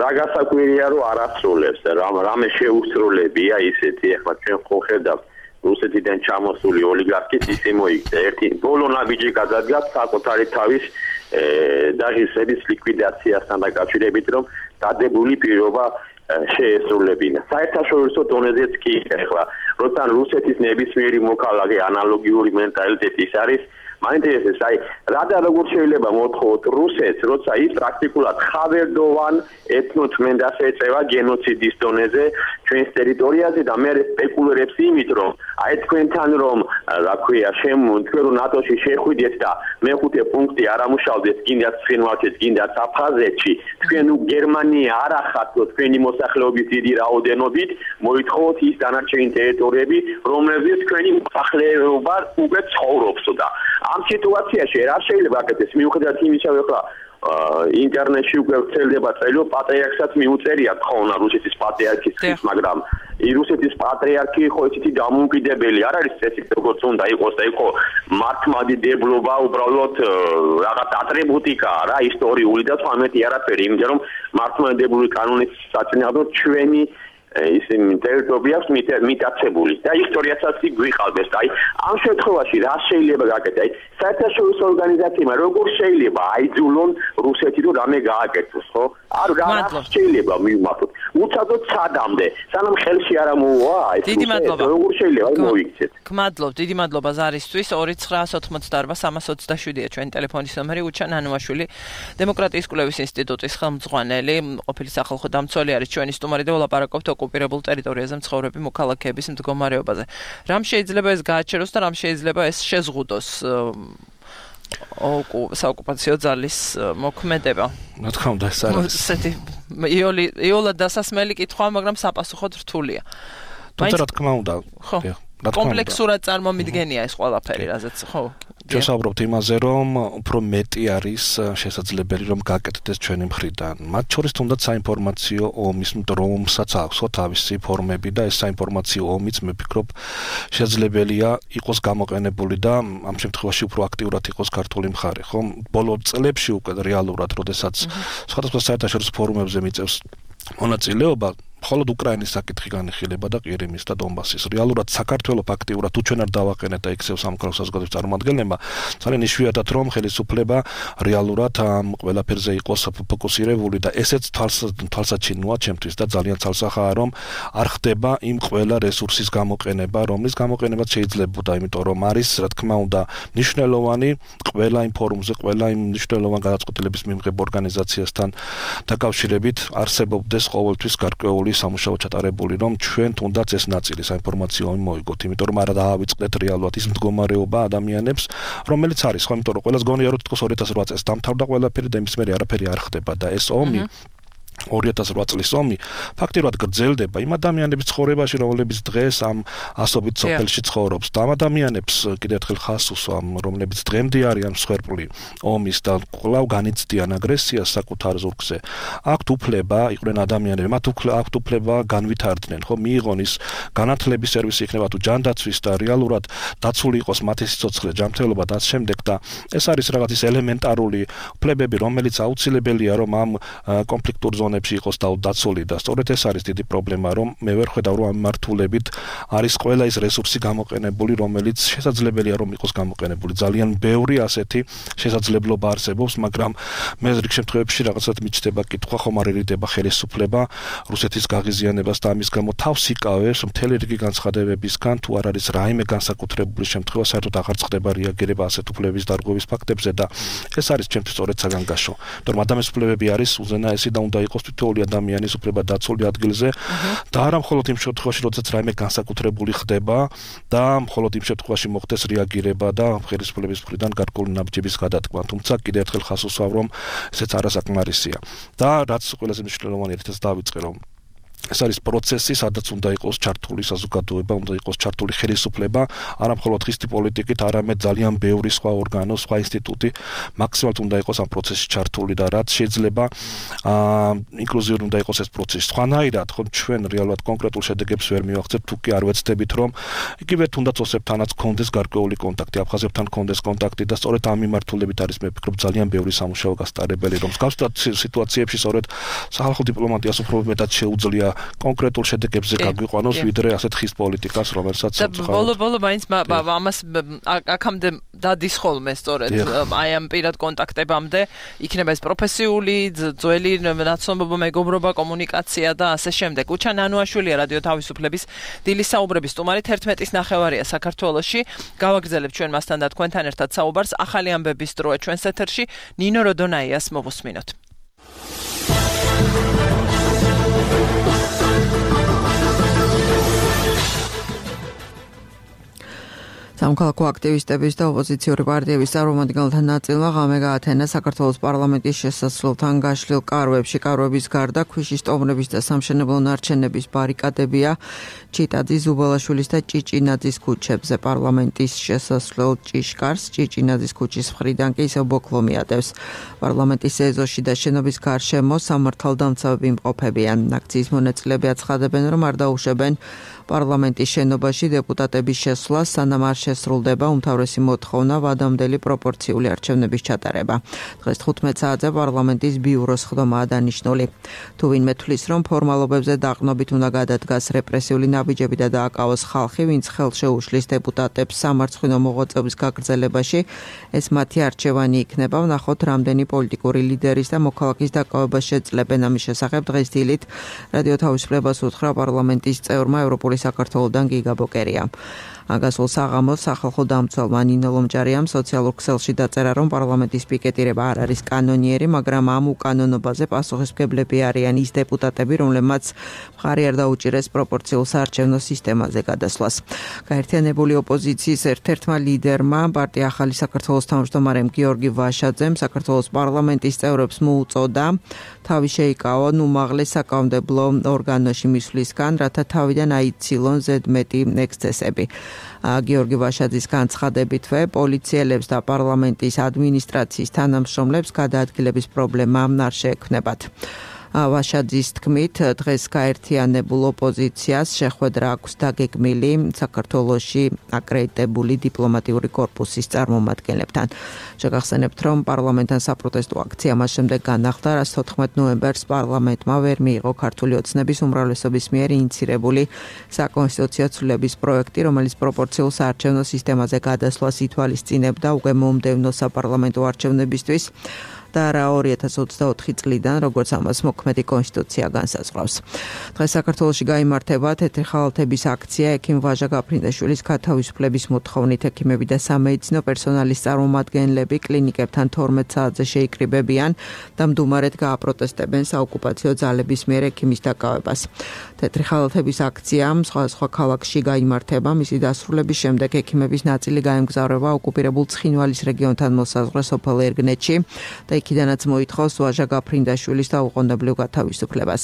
რა გასაკვირია რომ არ ასრულებს რამე შეუსრულებია ისეთი ახლა ჩვენ ხო ხედავთ რუსეთიდან ჩამოსული ოლიგარქის ისე მოიქცა ერთი ბოლო ნაბიჯი გადადგა საკუთარი თავის დაღისების ლიკვიდაციასთან დაკავშირებით რომ დადებული პირობა შეესრულებინა. საერთაშორისო დონეზეც კი ახლა როცა რუსეთის ნებისმიერი მოქალაქე ანალოგიური მენტალიტეტის არის მაინტერესებს აი რა და როგორ შეიძლება მოთხოვოთ რუსეთს როცა ის პრაქტიკულად ხავერდოვან ეთნოწმენდას ეწევა გენოციდის დონეზე ჩვენს ტერიტორიაზე და მე სპეკულირებს იმით რომ აი თქვენთან რომ რა ქვია თქვენ რომ ნატოში შეხვიდეთ და მეხუთე პუნქტი არ ამუშავდეს კიდაც ცხინვალში კიდაც აფხაზეთში თქვენ გერმანია არ ახართ თქვენი მოსახლეობის დიდი რაოდენობით მოითხოვოთ ის დანარჩენი ტერიტორიები რომლებზეც თქვენი მოსახლეობა უკვე ცხოვრობს და ამ სიტუაციაში რა შეიძლება აკეთდეს მიუხედავად იმისა რომ ახლა ინტერნეტში უკვე ვრცელდება წერილო პატრიარქსაც მიუწერია თხოვნა რუსეთის პატრიარქის მაგრამ რუსეთის პატრიარქი ხო ისეთი დამოუკიდებელი არ არის წესი როგორც უნდა იყოს და იყო მართლმადიდებლობა უბრალოდ რაღაც ატრიბუტიკა რა ისტორიული და თორმეტი არაფერი იმიტომ რომ მართლმადიდებლური კანონის საწინააღმდეგოდ ჩვენი ისინი ტერიტორიას მიტაცებული და ისტორიასაც გვიყალბეს და აი ამ შემთხვევაში რა შეიძლება გაკეთდეს აი საერთაშორისო ორგანიზაციებმა როგორ შეიძლება აიძულონ რუსეთი რომ რამე გააკეთოს ხო არ შეიძლება მივმართოთ უცადოდ სადამდე სანამ ხელში არ ამოვა ეს დიდი მადლობა როგორ შეიძლება მოიქცეთ გმადლობ დიდი მადლობა ზარისთვის 2988-327-ია ჩვენი ტელეფონის ნომერი უჩან ანუაშვილი დემოკრატიის კვლევის ინსტიტუტის ხელმძღვანელი ყოფილი სახალხო დამცველი არის ჩვენი სტუმარი და ვლაპარაკობთ ოკუპირებულ ტერიტორიაზე მცხოვრები მოქალაქეების მდგომარეობაზე. რამ შეიძლება ეს გააჩეროს და რამ შეიძლება ეს შეზღუდოს საოკუპაციო ძალის მოქმედება. რა თქმა უნდა ეს არის. ესეთი იოლად დასასმელი კითხვა, მაგრამ საპასუხოდ რთულია. თუმცა რა თქმა უნდა. ხო. კომპლექსურად წარმომიდგენია ეს ყველაფერი, რაზეც ხო. ჩვენ საუბრობთ იმაზე, რომ უფრო მეტი არის შესაძლებელი, რომ გაკეთდეს ჩვენი მხრიდან. მათ შორის თუნდაც საინფორმაციო ომის რომსაც აქვს თავისი ფორმები და ეს საინფორმაციო ომიც მე ვფიქრობ შესაძლებელია იყოს გამოყენებული და ამ შემთხვევაში უფრო აქტიურად იყოს ქართული მხარე, ხო? ბოლო წლებში უკვე რეალურად, როდესაც სხვადასხვა საერთაშორისო ფორუმებზე მიწევს მონაწილეობა მხოლოდ უკრაინის საკითხი განიხილება და ყირიმის და დონბასის. რეალურად საქართველოს აქტიურად თუ ჩვენ არ დავაყენეთ და ექსევ სამხაროს საზოგადოების წარმომადგენლებმა ძალიან იშვიათად რომ ხელისუფლება რეალურად ამ ყველაფერზე იყოს ფოკუსირებული და ესეც თვალსაჩინოა ჩემთვის და ძალიან ცალსახაა რომ არ ხდება იმ ყველა რესურსის გამოყენება რომლის გამოყენებაც შეიძლებოდა იმიტომ რომ არის რა თქმა უნდა მნიშვნელოვანი ყველა იმ ფორუმზე ყველა იმ მნიშვნელოვან გადაწყვეტილების მიღებ ორგანიზაციასთან დაკავშირებით არსებობდეს ყოველთვის გარკვეული სამუშაო ჩატარებული რომ ჩვენ თუნდაც ეს ნაწილი საინფორმაციო მოიგოთ იმიტომ რომ არა დაავიწყდეთ რეალურად ის მდგომარეობა ადამიანებს რომელიც არის ხო იმიტომ რომ ყველას გონია რომ თქოს 2008 წელს დამთავრდა ყველაფერი და იმის მერე არაფერი არ ხდება და ეს ომი 2008 წლის ომი ფაქტიურად გრძელდება იმ ადამიანების ცხოვრებაში რომლებიც დღეს ამ ასობით სოფელში ცხოვრობს და ამ ადამიანებს კიდევ ერთხელ ხას უსვამ რომლებიც დღემდე არიან მსხვერპლი ომის და კვლავ განიცდიან აგრესიას საკუთარ ზურგზე აქვთ უფლება იყვნენ ადამიანები მათ აქვთ უფლება განვითარდნენ ხო მიიღონ ის განათლების სერვისი იქნება თუ ჯანდაცვის და რეალურად დაცული იყოს მათი სიცოცხლე ჯანმრთელობა და ამ შემდეგ და ეს არის რაღაც ის ელემენტარული უფლებები რომელიც აუცილებელია რომ ამ კონფლიქტურ ხელოვნებში იყოს დაცული და სწორედ ეს არის დიდი პრობლემა, რომ მე ვერ ხედავ, რომ ამ მართულებით არის ყველა ის რესურსი გამოყენებული, რომელიც შესაძლებელია რომ იყოს გამოყენებული. ძალიან ბევრი ასეთი შესაძლებლობა არსებობს, მაგრამ მე რიგ შემთხვევებში რაღაცად მიჩნდება კითხვა, ხომ არ ერიდება ხელისუფლება რუსეთის გაღიზიანებას და ამის გამო თავს იკავებს მთელი რიგი განცხადებებისგან, თუ არ არის რაიმე განსაკუთრებული შემთხვევა, საერთოდ აღარ ხდება რეაგირება ასეთ უფლებების დარღვევის ფაქტებზე და ეს არის ჩემთვის სწორედ საგანგაშო. თორემ ადამიანის უფლებები არის უზენაესი და უნდა იყოს თითოეული ადამიანის უფლება დაცული ადგილზე და არა მხოლოდ იმ შემთხვევაში, როდესაც რაიმე განსაკუთრებული ხდება და მხოლოდ იმ შემთხვევაში მოხდეს რეაგირება და ხელისუფლების მხრიდან გარკვეული ნაბიჯების გადატკმა. თუმცა კიდევ ერთხელ ხას უსვამ, რომ ესეც არასაკმარისია. და რაც ყველაზე მნიშვნელოვანი ერთად დავიწყე, რომ ეს არის პროცესი, სადაც უნდა იყოს ჩართული საზოგადოება, უნდა იყოს ჩართული ხელისუფლება, არა მხოლოდ ხისტი პოლიტიკით, არამედ ძალიან ბევრი სხვა ორგანო, სხვა ინსტიტუტი მაქსიმალურად უნდა იყოს ამ პროცესში ჩართული და რაც შეიძლება ინკლუზიური უნდა იყოს ეს პროცესი. სხვანაირად, ხო ჩვენ რეალურად კონკრეტულ შედეგებს ვერ მივახცევთ, თუ კი არ ვეცდებით, რომ იგივე თუნდაც ოსებთანაც კონდეს გარკვეული კონტაქტი, აფხაზებთან კონდეს კონტაქტი და სწორედ ამ მიმართულებით არის მე ვფიქრობ ძალიან ბევრი სამუშაო გასტარებელი, რომ მსგავს სიტუაციებში სწორედ სახალხო დიპლომატიას უფრო მეტად შეუძლია კონკრეტულ შედეგებზე გაგვიყვანოს ვიდრე ასეთ ხის პოლიტიკას, რომელსაც ბოლო მაინც ამას აქამდე დადის ხოლმე სწორედ აი ამ პირად კონტაქტებამდე იქნება ეს პროფესიული ძველი ნაცნობობა, მეგობრობა, კომუნიკაცია და ასე შემდეგ. უჩა ნანუაშვილია რადიო თავისუფლების დილის საუბრების სტუმარი 11:09 საქართველოში. გავაგრძელებთ ჩვენ მასთან და თქვენთან ერთად საუბარს. ახალი ამბების დროა ჩვენს ეთერში. ნინო როდონაიას მოვუსმინოთ. სამოქალაქო აქტივისტების და ოპოზიციური პარტიების წარმომადგენელთა ნაწილმა ღამე გაათენა საქართველოს პარლამენტის შესასვლელთან გაშლილ კარვებში. კარვების გარდა ქვიშის ტომრების და სამშენებლო ნარჩენების ბარიკადებია ჩიტაძის, ზუბალაშვილის და ჭიჭინაძის ქუჩებზე. პარლამენტის შესასვლელ ჭიშკარს ჭიჭინაძის ქუჩის მხრიდან კი ისევ ბოქლო მიატევს. პარლამენტის ეზოში და შენობის გარშემო სამართალდამცავები იმყოფებიან. აქციის მონაწილეები აცხადებენ, რომ არ დაუშვებენ პარლამენტის შენობაში დეპუტატების შესვლას, სანამ არ შესრულდება უმთავრესი მოთხოვნა ვადამდელი პროპორციული არჩევნების ჩატარება. დღეს 15 საათზე პარლამენტის ბიუროს ხდომაა დანიშნული. თუ ვინმე თვლის, რომ ფორმალობებზე დაყრდნობით უნდა გადადგას რეპრესიული ნაბიჯები და დააკავოს ხალხი, ვინც ხელს შეუშლის დეპუტატებს სამარცხვინო მოღვაწეობის გაგრძელებაში, ეს მათი არჩევანი იქნება. ვნახოთ, რამდენი პოლიტიკური ლიდერის და მოქალაქის დაკავებას შეძლებენ. ამის შესახებ დღეს დილით რადიო თავისუფლებას უთხრა პარლამენტის წევრმა ევროპული საქართველოდან გიგა ბოკერია. აგასულ საღამოს სახალხო დამცველმა ნინო ლომჭარიამ სოციალურ ქსელში დაწერა, რომ პარლამენტის პიკეტირება არ არის კანონიერი, მაგრამ ამ უკანონობაზე პასუხისმგებლები არიან ის დეპუტატები, რომლებმაც მხარი არ დაუჭირეს პროპორციულ საარჩევნო სისტემაზე გადასვლას. გაერთიანებული ოპოზიციის ერთ-ერთმა ლიდერმა, პარტია ახალი საქართველოს თავმჯდომარემ გიორგი ვაშაძემ საქართველოს პარლამენტის წევრებს მოუწოდა თავი შეიკავონ უმაღლეს საკანონმდებლო ორგანოში მისვლისგან, რათა თავიდან აიცილონ ზედმეტი ექსცესები. გიორგი ვაშაძის განცხადებითვე პოლიციელებს და პარლამენტის ადმინისტრაციის თანამშრომლებს გადაადგილების პრობლემა არ შეექმნებათ. ვაშაძის თქმით, დღეს გაერთიანებულ ოპოზიციას შეხვედრა აქვს დაგეგმილი საქართველოში აკრედიტებული დიპლომატიური კორპუსის წარმომადგენლებთან. შეგახსენებთ, რომ პარლამენტთან საპროტესტო აქცია მას შემდეგ განახლდა, რაც 14 ნოემბერს პარლამენტმა ვერ მიიღო ქართული ოცნების უმრავლესობის მიერ ინიცირებული საკონსტიტუციო ცვლილების პროექტი, რომელიც პროპორციულ საარჩევნო სისტემაზე გადასვლას ითვალისწინებდა უკვე მომდევნო საპარლამენტო არჩევნებისთვის და რა 2024 წლიდან, როგორც ამას მოქმედი კონსტიტუცია განსაზღვრავს. დღეს საქართველოში გაიმართება თეთრი ხალათების აქცია ექიმ ვაჟა გაფრინდაშვილის გათავისუფლების მოთხოვნით. ექიმები და სამედიცინო პერსონალის წარმომადგენლები კლინიკებთან 12 საათზე შეიკრიბებიან და მდუმარედ გააპროტესტებენ საოკუპაციო ძალების მიერ ექიმის დაკავებას. თეთრი ხალათების აქცია სხვა ქალაქში გაიმართება. მისი დასრულების შემდეგ ექიმების ნაწილი გაემგზავრება ოკუპირებულ ცხინვალის რეგიონთან მოსაზღვრე სოფელ ერგნეთში და იქიდანაც მოითხოვს ვაჟა გაფრინდაშვილის დაუყოვნებლივ გათავისუფლებას.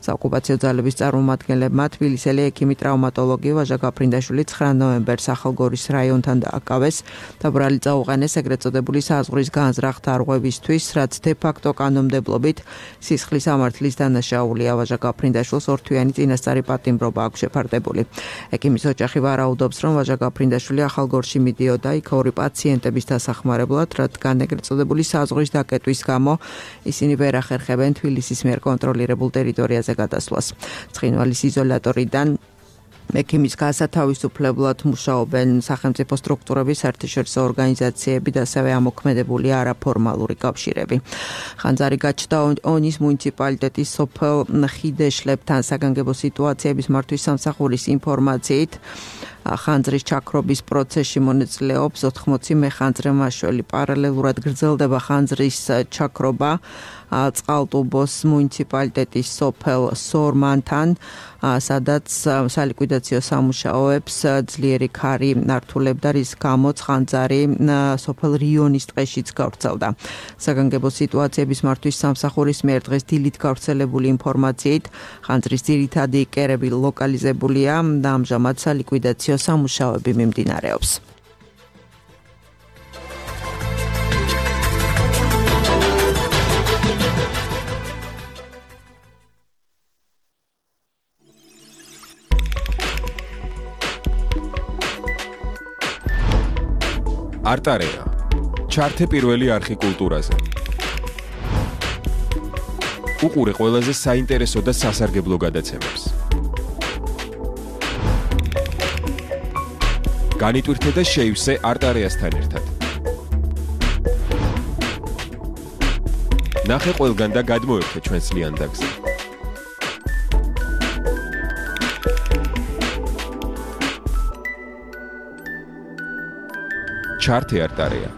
საოკუპაციო ძალების წარმომადგენლებმა თბილისელი ექიმი ტრავმატოლოგი ვაჟა გაფრინდაშვილი 9 ნოემბერს ახალგორის რაიონთან დააკავეს და ბრალი წაუყენეს ეგრეთ წოდებული საზღვრის განზრახ დარღვევისთვის, რაც დე-ფაქტო კანონმდებლობით სისხლის ამართლის დანაშაულია. ვაჟა გაფრინდაშვილს ორთვიანი წინასწარი პატიმრობა აქვს შეფარდებული. ექიმის ოჯახი ვარაუდობს, რომ ვაჟა გაფრინდაშვილი ახალგორში მიდიოდა იქ ორი პაციენტების დასახმარებლად, რადგან ეგრეთ წოდებული საზღვრის დაკეტვა მიწვეტვის გამო ისინი ვერ ახერხებენ თბილისის მიერ კონტროლირებულ ტერიტორიაზე გადასვლას. ცხინვალის იზოლატორიდან ექიმის გასათავისუფლებლად მუშაობენ სახელმწიფო სტრუქტურების, საერთაშორისო ორგანიზაციები და ასევე ამოქმედებული არაფორმალური კავშირები. ხანძარი გაჩნდა ონის მუნიციპალიტეტის სოფელ ხიდეშლებთან საგანგებო სიტუაციების მართვის სამსახურის ინფორმაციით ხანძრის ჩაქრობის პროცესში მონაწილეობს 80 მეხანძრე მაშველი. პარალელურად გრძელდება ხანძრის ჩაქრობა წყალტუბოს მუნიციპალიტეტის სოფელ სორმანთან, სადაც სალიკვიდაციო სამუშაოებს ძლიერი ქარი ართულებდა, რის გამოც ხანძარი სოფელ რიონის ტყეშიც გავრცელდა. საგანგებო სიტუაციების მართვის სამსახურის მიერ დღეს დილით გავრცელებული ინფორმაციით ხანძრის ძირითადი კერები ლოკალიზებულია და ამჟამად სალიკვიდაციო სამუშაოები მიმდინარეობს. არტარეა. ჩართე პირველი არხი კულტურაზე. უყურე ყველაზე საინტერესო და სასარგებლო გადაცემებს. განიტვირთე და შეივსე არტარეასთან ერთად. ნახე ყველგან და გადმოერთე ჩვენს ლიანდაგზე. ჩართე არტარეა.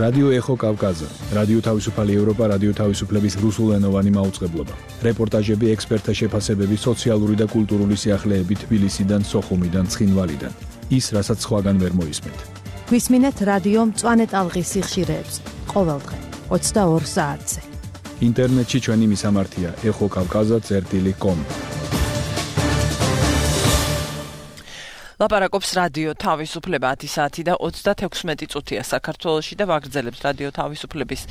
რადიო ეხო კავკაზა, რადიო თავისუფალი ევროპა, რადიო თავისუფლების რუსულენოვანი მაუწყებლობა. რეპორტაჟები, ექსპერტთა შეფასებები, სოციალური და კულტურული სიახლეები თბილისიდან, სოხუმიდან, ცხინვალიდან. ის, რასაც სხვაგან ვერ მოისმენთ. გვისმინეთ რადიო მწვანე ტალღის სიხშირეებს ყოველდღე 22 საათზე. ინტერნეტში ჩვენი მისამართია exokavkaza.com. ლაპარაკობს რადიო თავისუფლება 10 საათი და 36 წუთია საქართველოში და ვაგრძელებთ რადიო თავისუფლების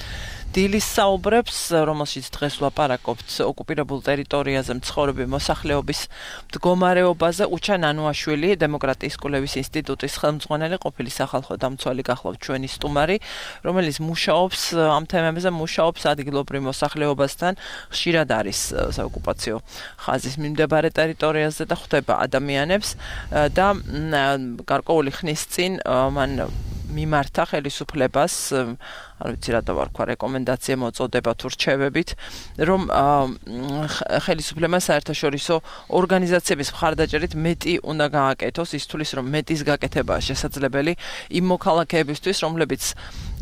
დილის საუბრებს, რომელშიც დღეს ლაპარაკობთ ოკუპირებულ ტერიტორიაზე მცხოვრები მოსახლეობის მდგომარეობაზე. უჩა ნანუაშვილი, დემოკრატიის კვლევის ინსტიტუტის ხელმძღვანელი, ყოფილი სახალხო დამცველი გახლავთ ჩვენი სტუმარი, რომელიც მუშაობს ამ თემებზე, მუშაობს ადგილობრივ მოსახლეობასთან, ხშირად არის საოკუპაციო ხაზის მიმდებარე ტერიტორიაზე და ხვდება ადამიანებს და გარკვეული ხნის წინ მან მიმართა ხელისუფლებას, არ ვიცი რა დავარქვა, რეკომენდაცია მოწოდება თუ რჩევებით, რომ ხელისუფლებამ საერთაშორისო ორგანიზაციების მხარდაჭერით მეტი უნდა გააკეთოს, ის თulis რომ მეტის გაკეთებაა შესაძლებელი იმ მოქალაქეებისთვის, რომლებიც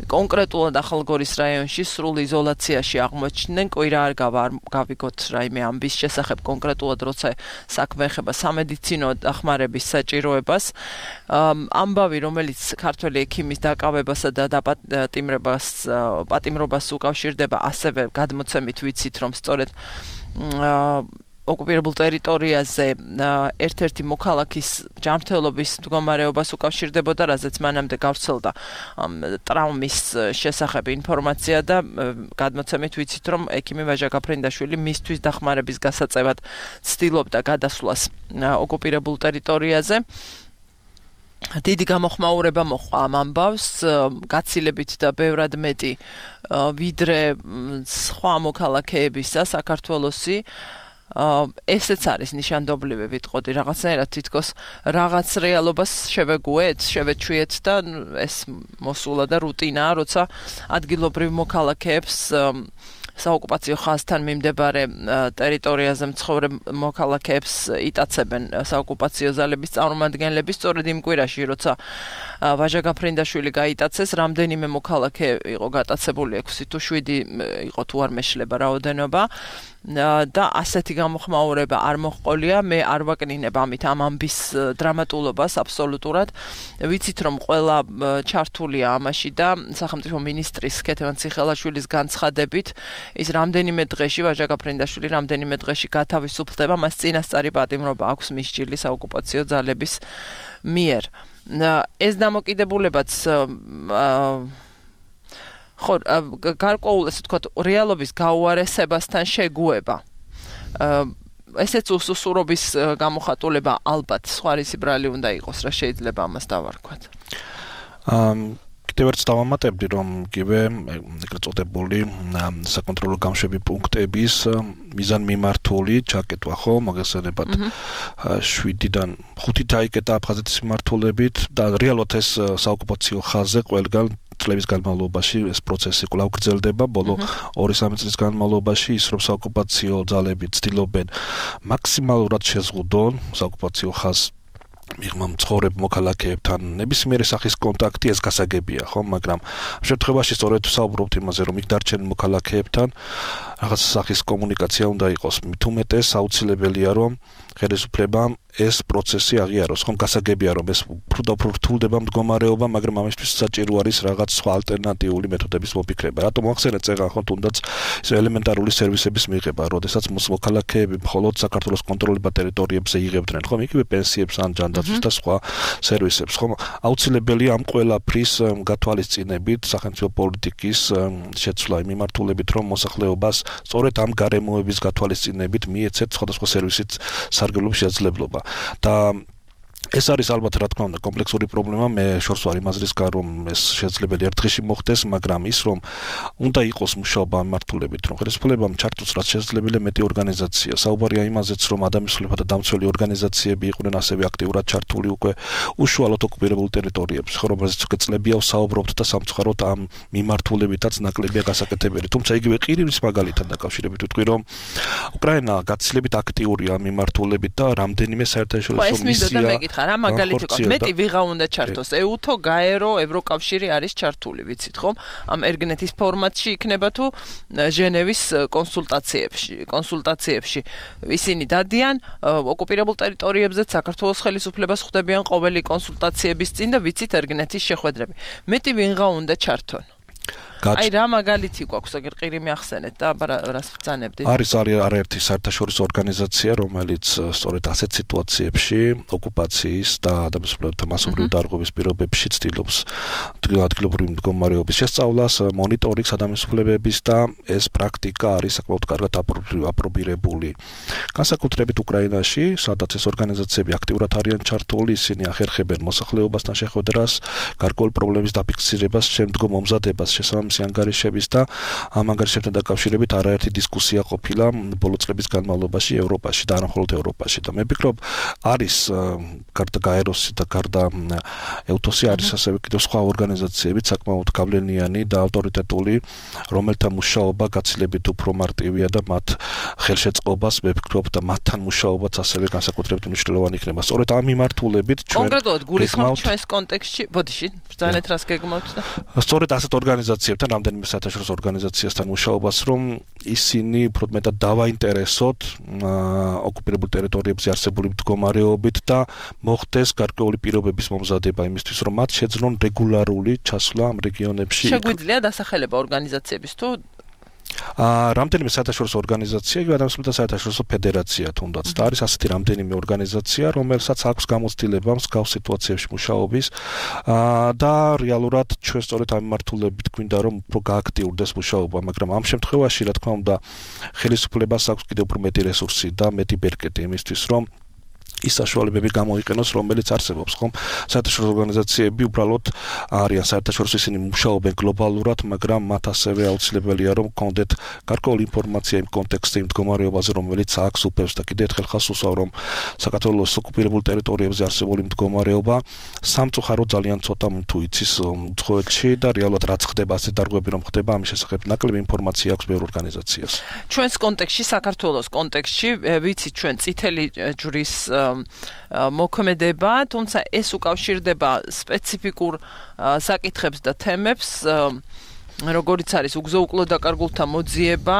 კონკრეტულად ახალგორის რაიონში სრულ იზოლაციაში აღმოჩნდნენ, კვირა არ გავიგოთ რაიმე ამბის შესახებ კონკრეტულად, როცა საქმე ეხება სამედიცინო დახმარების საჭიროებას. ამბავი, რომელიც ქართველი ექიმის დაკავებასა და პატიმრობას უკავშირდება, ასევე გადმოცემით ვიცით, რომ სწორედ ოკუპირებულ ტერიტორიაზე ერთ-ერთი მოქალაქის ჯანმრთელობის მდგომარეობას უკავშირდებოდა, რაზეც მანამდე გავრცელდა ტრაუმის შესახებ ინფორმაცია და გადმოცემით ვიცით, რომ ექიმი ვაჟა გაფრინდაშვილი მისთვის დახმარების გასაწევად ცდილობდა გადასვლას ოკუპირებულ ტერიტორიაზე. დიდი გამოხმაურება მოყვა ამ ამბავს, გაცილებით და ბევრად მეტი ვიდრე სხვა მოქალაქეებისა საქართველოსი. ესეც არის ნიშანდობლივი, ვიტყოდი, რაღაცნაირად თითქოს რაღაც რეალობას შევეგუეთ, შევეჩვიეთ და ეს მოსულა და რუტინაა, როცა ადგილობრივ მოქალაქეებს საოკუპაციო ხაზთან მიმდებარე ტერიტორიაზე მცხოვრებ მოქალაქეებს იტაცებენ საოკუპაციო ზალების წარმომადგენლები, სწორედ იმ კვირაში, როცა ვაჟა გაფრინდაშვილი გაიტაცეს, რამდენიმე მოქალაქე იყო გატაცებული, 6 თუ 7 იყო თუ არ მეშლება რაოდენობა. და ასეთი გამოხმაურება არ მოჰყოლია, მე არ ვაკნინებ ამით ამ ამბის დრამატულობას აბსოლუტურად. ვიცით, რომ ყველა ჩართულია ამაში და სახელმწიფო მინისტრის ქეთევან ციხელაშვილის განცხადებით, ის რამდენიმე დღეში ვაჟა გაფრინდაშვილი რამდენიმე დღეში გათავისუფლდება, მას წინასწარი პატიმრობა აქვს მისჭილი საოკუპაციო ძალების მიერ. ეს დამოკიდებულებაც ხო, გარკვეულ, ესე ვთქვათ, რეალობის გაუარესებასთან შეგუება. ესეც უსუსურობის გამოხატულება ალბათ სხვა რისი ბრალი უნდა იყოს, რა შეიძლება ამას დავარქვათ. კიდევ ერთ დავამატებდი, რომ იგივე ეგრეთ წოდებული საკონტროლო გამშვები პუნქტების მიზანმიმართული ჩაკეტვა ხო, მოგესალმებათ 7-დან 5 დაიკეტა აფხაზეთის მიმართულებით და რეალურად ეს საოკუპაციო ხაზზე ყველგან წლების განმავლობაში ეს პროცესი კვლავ გრძელდება, ბოლო 2-3 წლის განმავლობაში ის რომ საოკუპაციო ძალები ცდილობენ მაქსიმალურად შეზღუდონ საოკუპაციო ხაზს მიღმა მცხოვრებ მოქალაქეებთან ნებისმიერი სახის კონტაქტი ეს გასაგებია ხო, მაგრამ ამ შემთხვევაში სწორედ ვსაუბრობთ იმაზე, რომ იქ დარჩენილ მოქალაქეებთან რაღაც სახის კომუნიკაცია უნდა იყოს. მით უმეტეს აუცილებელია, რომ ხელისუფლებამ ეს პროცესი აღიაროს, ხომ გასაგებია, რომ ეს უფრო რთულდება მდგომარეობა, მაგრამ ამისთვის საჭირო არის რაღაც სხვა ალტერნატიული მეთოდების მოფიქრება. რატომ ახსენეთ წეგან ხო თუნდაც ეს ელემენტარული სერვისების მიღება, როდესაც მოქალაქეები მხოლოდ საქართველოს კონტროლებად ტერიტორიებზე იღებდნენ, ხომ იგივე პენსიებს ან ჯანდაცვის და სხვა სერვისებს, ხომ აუცილებელია ამ ყველაფრის გათვალისწინებით სახელმწიფო პოლიტიკის შეცვლა იმ მიმართულებით, რომ მოსახლეობას სწორედ ამ გარემოების გათვალისწინებით მიეცეთ სხვადასხვა სერვისით სარგებლობის შესაძლებლობა. და ეს არის ალბათ რა თქმა უნდა კომპლექსური პრობლემა, მე შორს ვარ იმაზრისგან, რომ ეს შესაძლებელი ერთ დღეში მოხდეს, მაგრამ ის რომ უნდა იყოს მუშაობა მიმართულებით, რომ ხელისუფლებამ ჩართოს რაც შესაძლებელი მეტი ორგანიზაცია. საუბარია იმაზეც, რომ ადამიანთა დამცველი ორგანიზაციები იყვნენ ასევე აქტიურად ჩართული უკვე უშუალოდ ოკუპირებულ ტერიტორიებში, ხო, რომელზეც უკვე წლებია ვსაუბრობთ და სამწუხაროდ ამ მიმართულებითაც ნაკლებია გასაკეთებელი. თუმცა იგივე ყირიმის მაგალითთან დაკავშირებით ვიტყვი, რომ უკრაინა გაცილებით აქტიურია ამ მიმართულებით და რამდენიმე საერთაშორისო მისია რა მაგალითი ყავს, მეტი ვიღა უნდა ჩართოს, ეუთო, გაერო, ევროკავშირი არის ჩართული, ვიცით ხომ? ამ ერგნეთის ფორმატში იქნება თუ ჟენევის კონსულტაციებში. ისინი დადიან ოკუპირებულ ტერიტორიებზე საქართველოს ხელისუფლებას ხვდებიან ყოველი კონსულტაციების წინ და ვიცით ერგნეთის შეხვედრები. მეტი ვიღა უნდა ჩართონ. აი რა მაგალითი გვაქვს, აგერ ყირიმი ახსენეთ და რას ბრძანებდით? არის არაერთი საერთაშორისო ორგანიზაცია, რომელიც სწორედ ასეთ სიტუაციებში, ოკუპაციის და ადამიანთა მასობრივი დარღვევის პირობებში ცდილობს ადგილობრივი მდგომარეობის შესწავლას, მონიტორინგს ადამიანების და ეს პრაქტიკა არის საკმაოდ კარგად აპრობირებული. განსაკუთრებით უკრაინაში, სადაც ეს ორგანიზაციები აქტიურად არიან ჩართული, ისინი ახერხებენ მოსახლეობასთან შეხვედრას, გარკვეული პრობლემის დაფიქსირებას, შემდგომ მომზადებას შესაბამისი ანგარიშების და ამ ანგარიშებთან დაკავშირებით არაერთი დისკუსია ყოფილა ბოლო წლების განმავლობაში ევროპაში და არა მხოლოდ ევროპაში და მე ვფიქრობ არის გარდა გაეროსი და გარდა ეუთოსი არის ასევე კიდევ სხვა ორგანიზაციები საკმაოდ გავლენიანი და ავტორიტეტული, რომელთა მუშაობა გაცილებით უფრო მარტივია და მათ ხელშეწყობას მე ვფიქრობ და მათთან მუშაობაც ასევე განსაკუთრებით მნიშვნელოვანი იქნება. სწორედ ამ მიმართულებით ჩვენ კონკრეტულად გულისხმობთ ჩვენს კონტექსტში, ბოდიში, ბრძანეთ რას გეგმავთ და სწორედ ასეთ ორგანიზაციებთან რამდენიმე საერთაშორისო ორგანიზაციასთან მუშაობას, რომ ისინი უფრო მეტად დავაინტერესოთ ოკუპირებულ ტერიტორიებზე არსებული მდგომარეობით და მოხდეს გარკვეული პირობების მომზადება იმისთვის, რომ მათ შეძლონ რეგულარული ჩასვლა ამ რეგიონებში. შეგვიძლია დასახელება ორგანიზაციების თუ რამდენიმე საერთაშორისო ორგანიზაცია, ადამიანთა საერთაშორისო ფედერაცია თუნდაც და არის ასეთი რამდენიმე ორგანიზაცია, რომელსაც აქვს გამოცდილება მსგავს სიტუაციებში მუშაობის და რეალურად ჩვენ სწორედ ამ მიმართულებით გვინდა რომ უფრო გააქტიურდეს მუშაობა, მაგრამ ამ შემთხვევაში რა თქმა უნდა ხელისუფლებას აქვს კიდევ უფრო მეტი რესურსი და მეტი ბერკეტი იმისთვის, რომ ის საშუალებები გამოიყენოს, რომელიც არსებობს, ხომ? საერთაშორისო ორგანიზაციები უბრალოდ არიან საერთაშორისო, ისინი მუშაობენ გლობალურად, მაგრამ მათ ასევე აუცილებელია, რომ გქონდეთ გარკვეული ინფორმაცია იმ კონტექსტზე, იმ მდგომარეობაზე, რომელიც აქვს უფებს და კიდევ ერთხელ ხას უსვავ, რომ საქართველოს ოკუპირებულ ტერიტორიებზე არსებული მდგომარეობა სამწუხაროდ ძალიან ცოტა თუ იცის უცხოეთში და რეალურად რაც ხდება, ასეთ დარღვევები რომ ხდება, ამის შესახებ ნაკლები ინფორმაცია აქვს ბევრ ორგანიზაციას. ჩვენს კონტექსტში, საქართველოს კონტექსტში, ვიცით ჩვენ წითელი ჯვრის მოქმედება, თუმცა ეს უკავშირდება სპეციფიკურ საკითხებს და თემებს, როგორიც არის უგზო-უკლო დაკარგულთა მოძიება,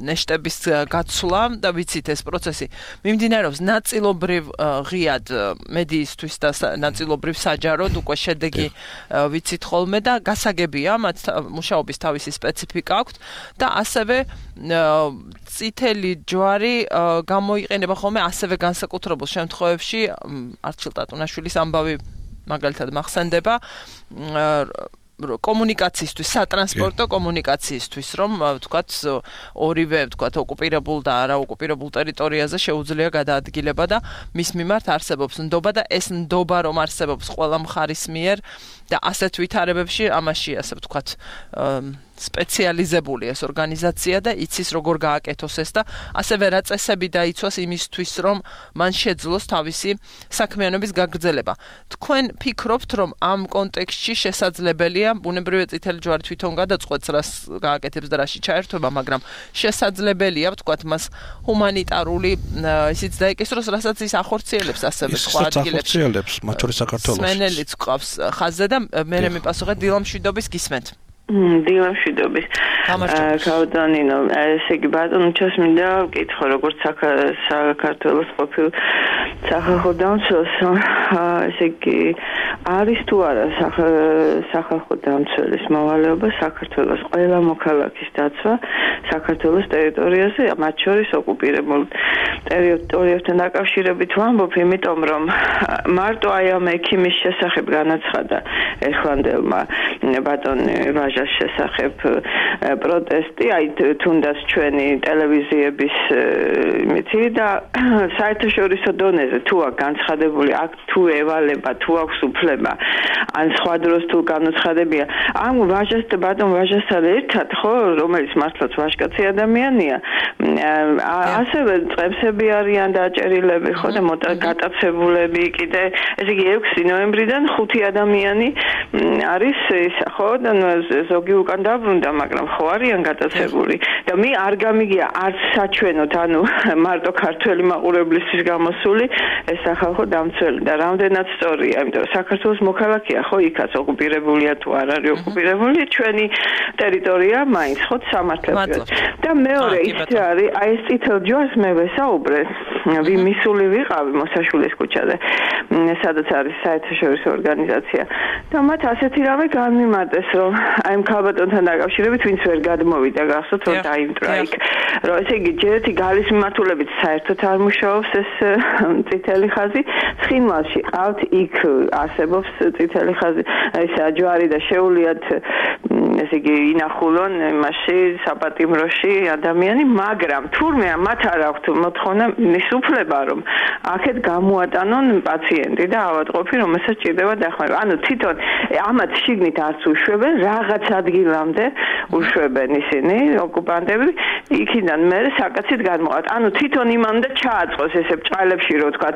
ნეშტების გაცვლა და ვიცით ეს პროცესი მიმდინარეობს ნაწილობრივ ღიად მედიისთვის და ნაწილობრივ საჯაროდ უკვე შედეგი ვიცით ხოლმე და გასაგებია მათ მუშაობის თავისი სპეციფიკა აქვს და ასევე წითელი ჯვარი გამოიყენება ხოლმე ასევე განსაკუთრებულ შემთხვევებში არჩილ ტატუნაშვილის ამბავი მაგალითად მახსენდება კომუნიკაციისთვის, სატრანსპორტო კომუნიკაციისთვის, რომ ვთქვათ, ორივე ვთქვათ, ოკუპირებულ და არაოკუპირებულ ტერიტორიაზე შეუძლია გადაადგილება და მის მიმართ არსებობს ნდობა და ეს ნდობა რომ არსებობს ყველა მხარის მიერ და ასეთ ვითარებებში ამაში ასე ვთქვათ სპეციალიზებული ეს ორგანიზაცია და იცის როგორ გააკეთოს ეს და ასევე რა წესები დაიცვას იმისთვის რომ მან შეძლოს თავისი საქმიანობის გაგრძელება. თქვენ ფიქრობთ რომ ამ კონტექსტში შესაძლებელია ბუნებრივი წითელი ჯვარი თვითონ გადაწყვეტს რას გააკეთებს და რაში ჩაერთვება, მაგრამ შესაძლებელია ვთქვათ მას ჰუმანიტარული ისიც დაიკისროს, რასაც ის ახორციელებს ასევე სხვა ადგილებში. მათ შორის საქართველოს. სმენელიც ყავს ხაზზე და მე მიპასუხე დილამშვიდობის გისმენთ. დილამშვიდობის. კავდანინო, ესე იგი ბატონჩას მინდა ვკითხო, როგორც საქართველოს ყოფილ სახალხო დამცველს, ესე იგი არის თუ არა სახალხო დამცველის მოვალეობა საქართველოს ყველა მოქალაქის დაცვა საქართველოს ტერიტორიაზე, მათ შორის ოკუპირებულ ტერიტორიებთან დაკავშირებით ვამბობ, იმიტომ რომ მარტო აი ამ ექიმის შესახებ განაცხადა ეხლანდელმა ბატონ ვაჟას შესახებ პროტესტი, აი თუნდაც ჩვენი ტელევიზიების იმითი და საერთაშორისო დონეზე თუ აქვს განცხადებული აქ თუ ევალება, თუ აქვს უფლება, ან სხვა დროს თუ განუცხადებია, ამ ბატონ ვაჟასთან ერთად, ხო, რომელიც მართლაც ვაჟკაცი ადამიანია, ასევე წებსები არიან დაჭერილები, ხო და გატაცებულები კიდე, ესე იგი 6 ნოემბრიდან 5 ადამიანი არის ისა, ხო და ზოგი უკან დაბრუნდა, მაგრამ ხო არიან გატაცებული და მე არ გამიგია არც საჩვენოთ, ანუ მარტო ქართველი მაყურებლისთვის გამოსული ეს სახალხო დამცველი და რამდენად სწორია, იმიტომ რომ საქართველოს მოქალაქეა, ხო, იქაც ოკუპირებულია თუ არ არის ოკუპირებული, ჩვენი ტერიტორია მაინც ხო სამართლებრივად. და მეორე ის არის, აი ეს წითელ ჯვარს მე ვესაუბრე, მისული ვიყავი მოსაშვილეს ქუჩაზე, სადაც არის საერთაშორისო ორგანიზაცია და მათ ასეთი რამე განმიმარტეს, რომ აი ამ ქალბატონთან დაკავშირებით ვინც ვერ გადმოვიდა გახსოვთ რომ დაიმტრა იქ, რომ ესე იგი ჯერეთი გალის მიმართულებით საერთოდ არ მუშაობს ეს წითელი ხაზი, ცხინვალში ყავთ იქ არსებობს წითელი ხაზი, ესა ჯვარი და შეულიათ ესე იგი ინახულონ იმაში საპატიმროში ადამიანი, მაგრამ თურმე მათ არ აქვთ მოთხოვნა მის უფლება რომ აქეთ გამოატანონ პაციენტი და ავადმყოფი, რომელსაც ჭირდება დახმარება. ანუ თვითონ ამათ შიგნით არც უშვებენ, რაღაც ადგილამდე უშვებენ ისინი ოკუპანტები, იქიდან მე საკაცით გადმოყავთ. ანუ თვითონ იმან და ჩააწყოს ესე ბჭყალებში რო თქვა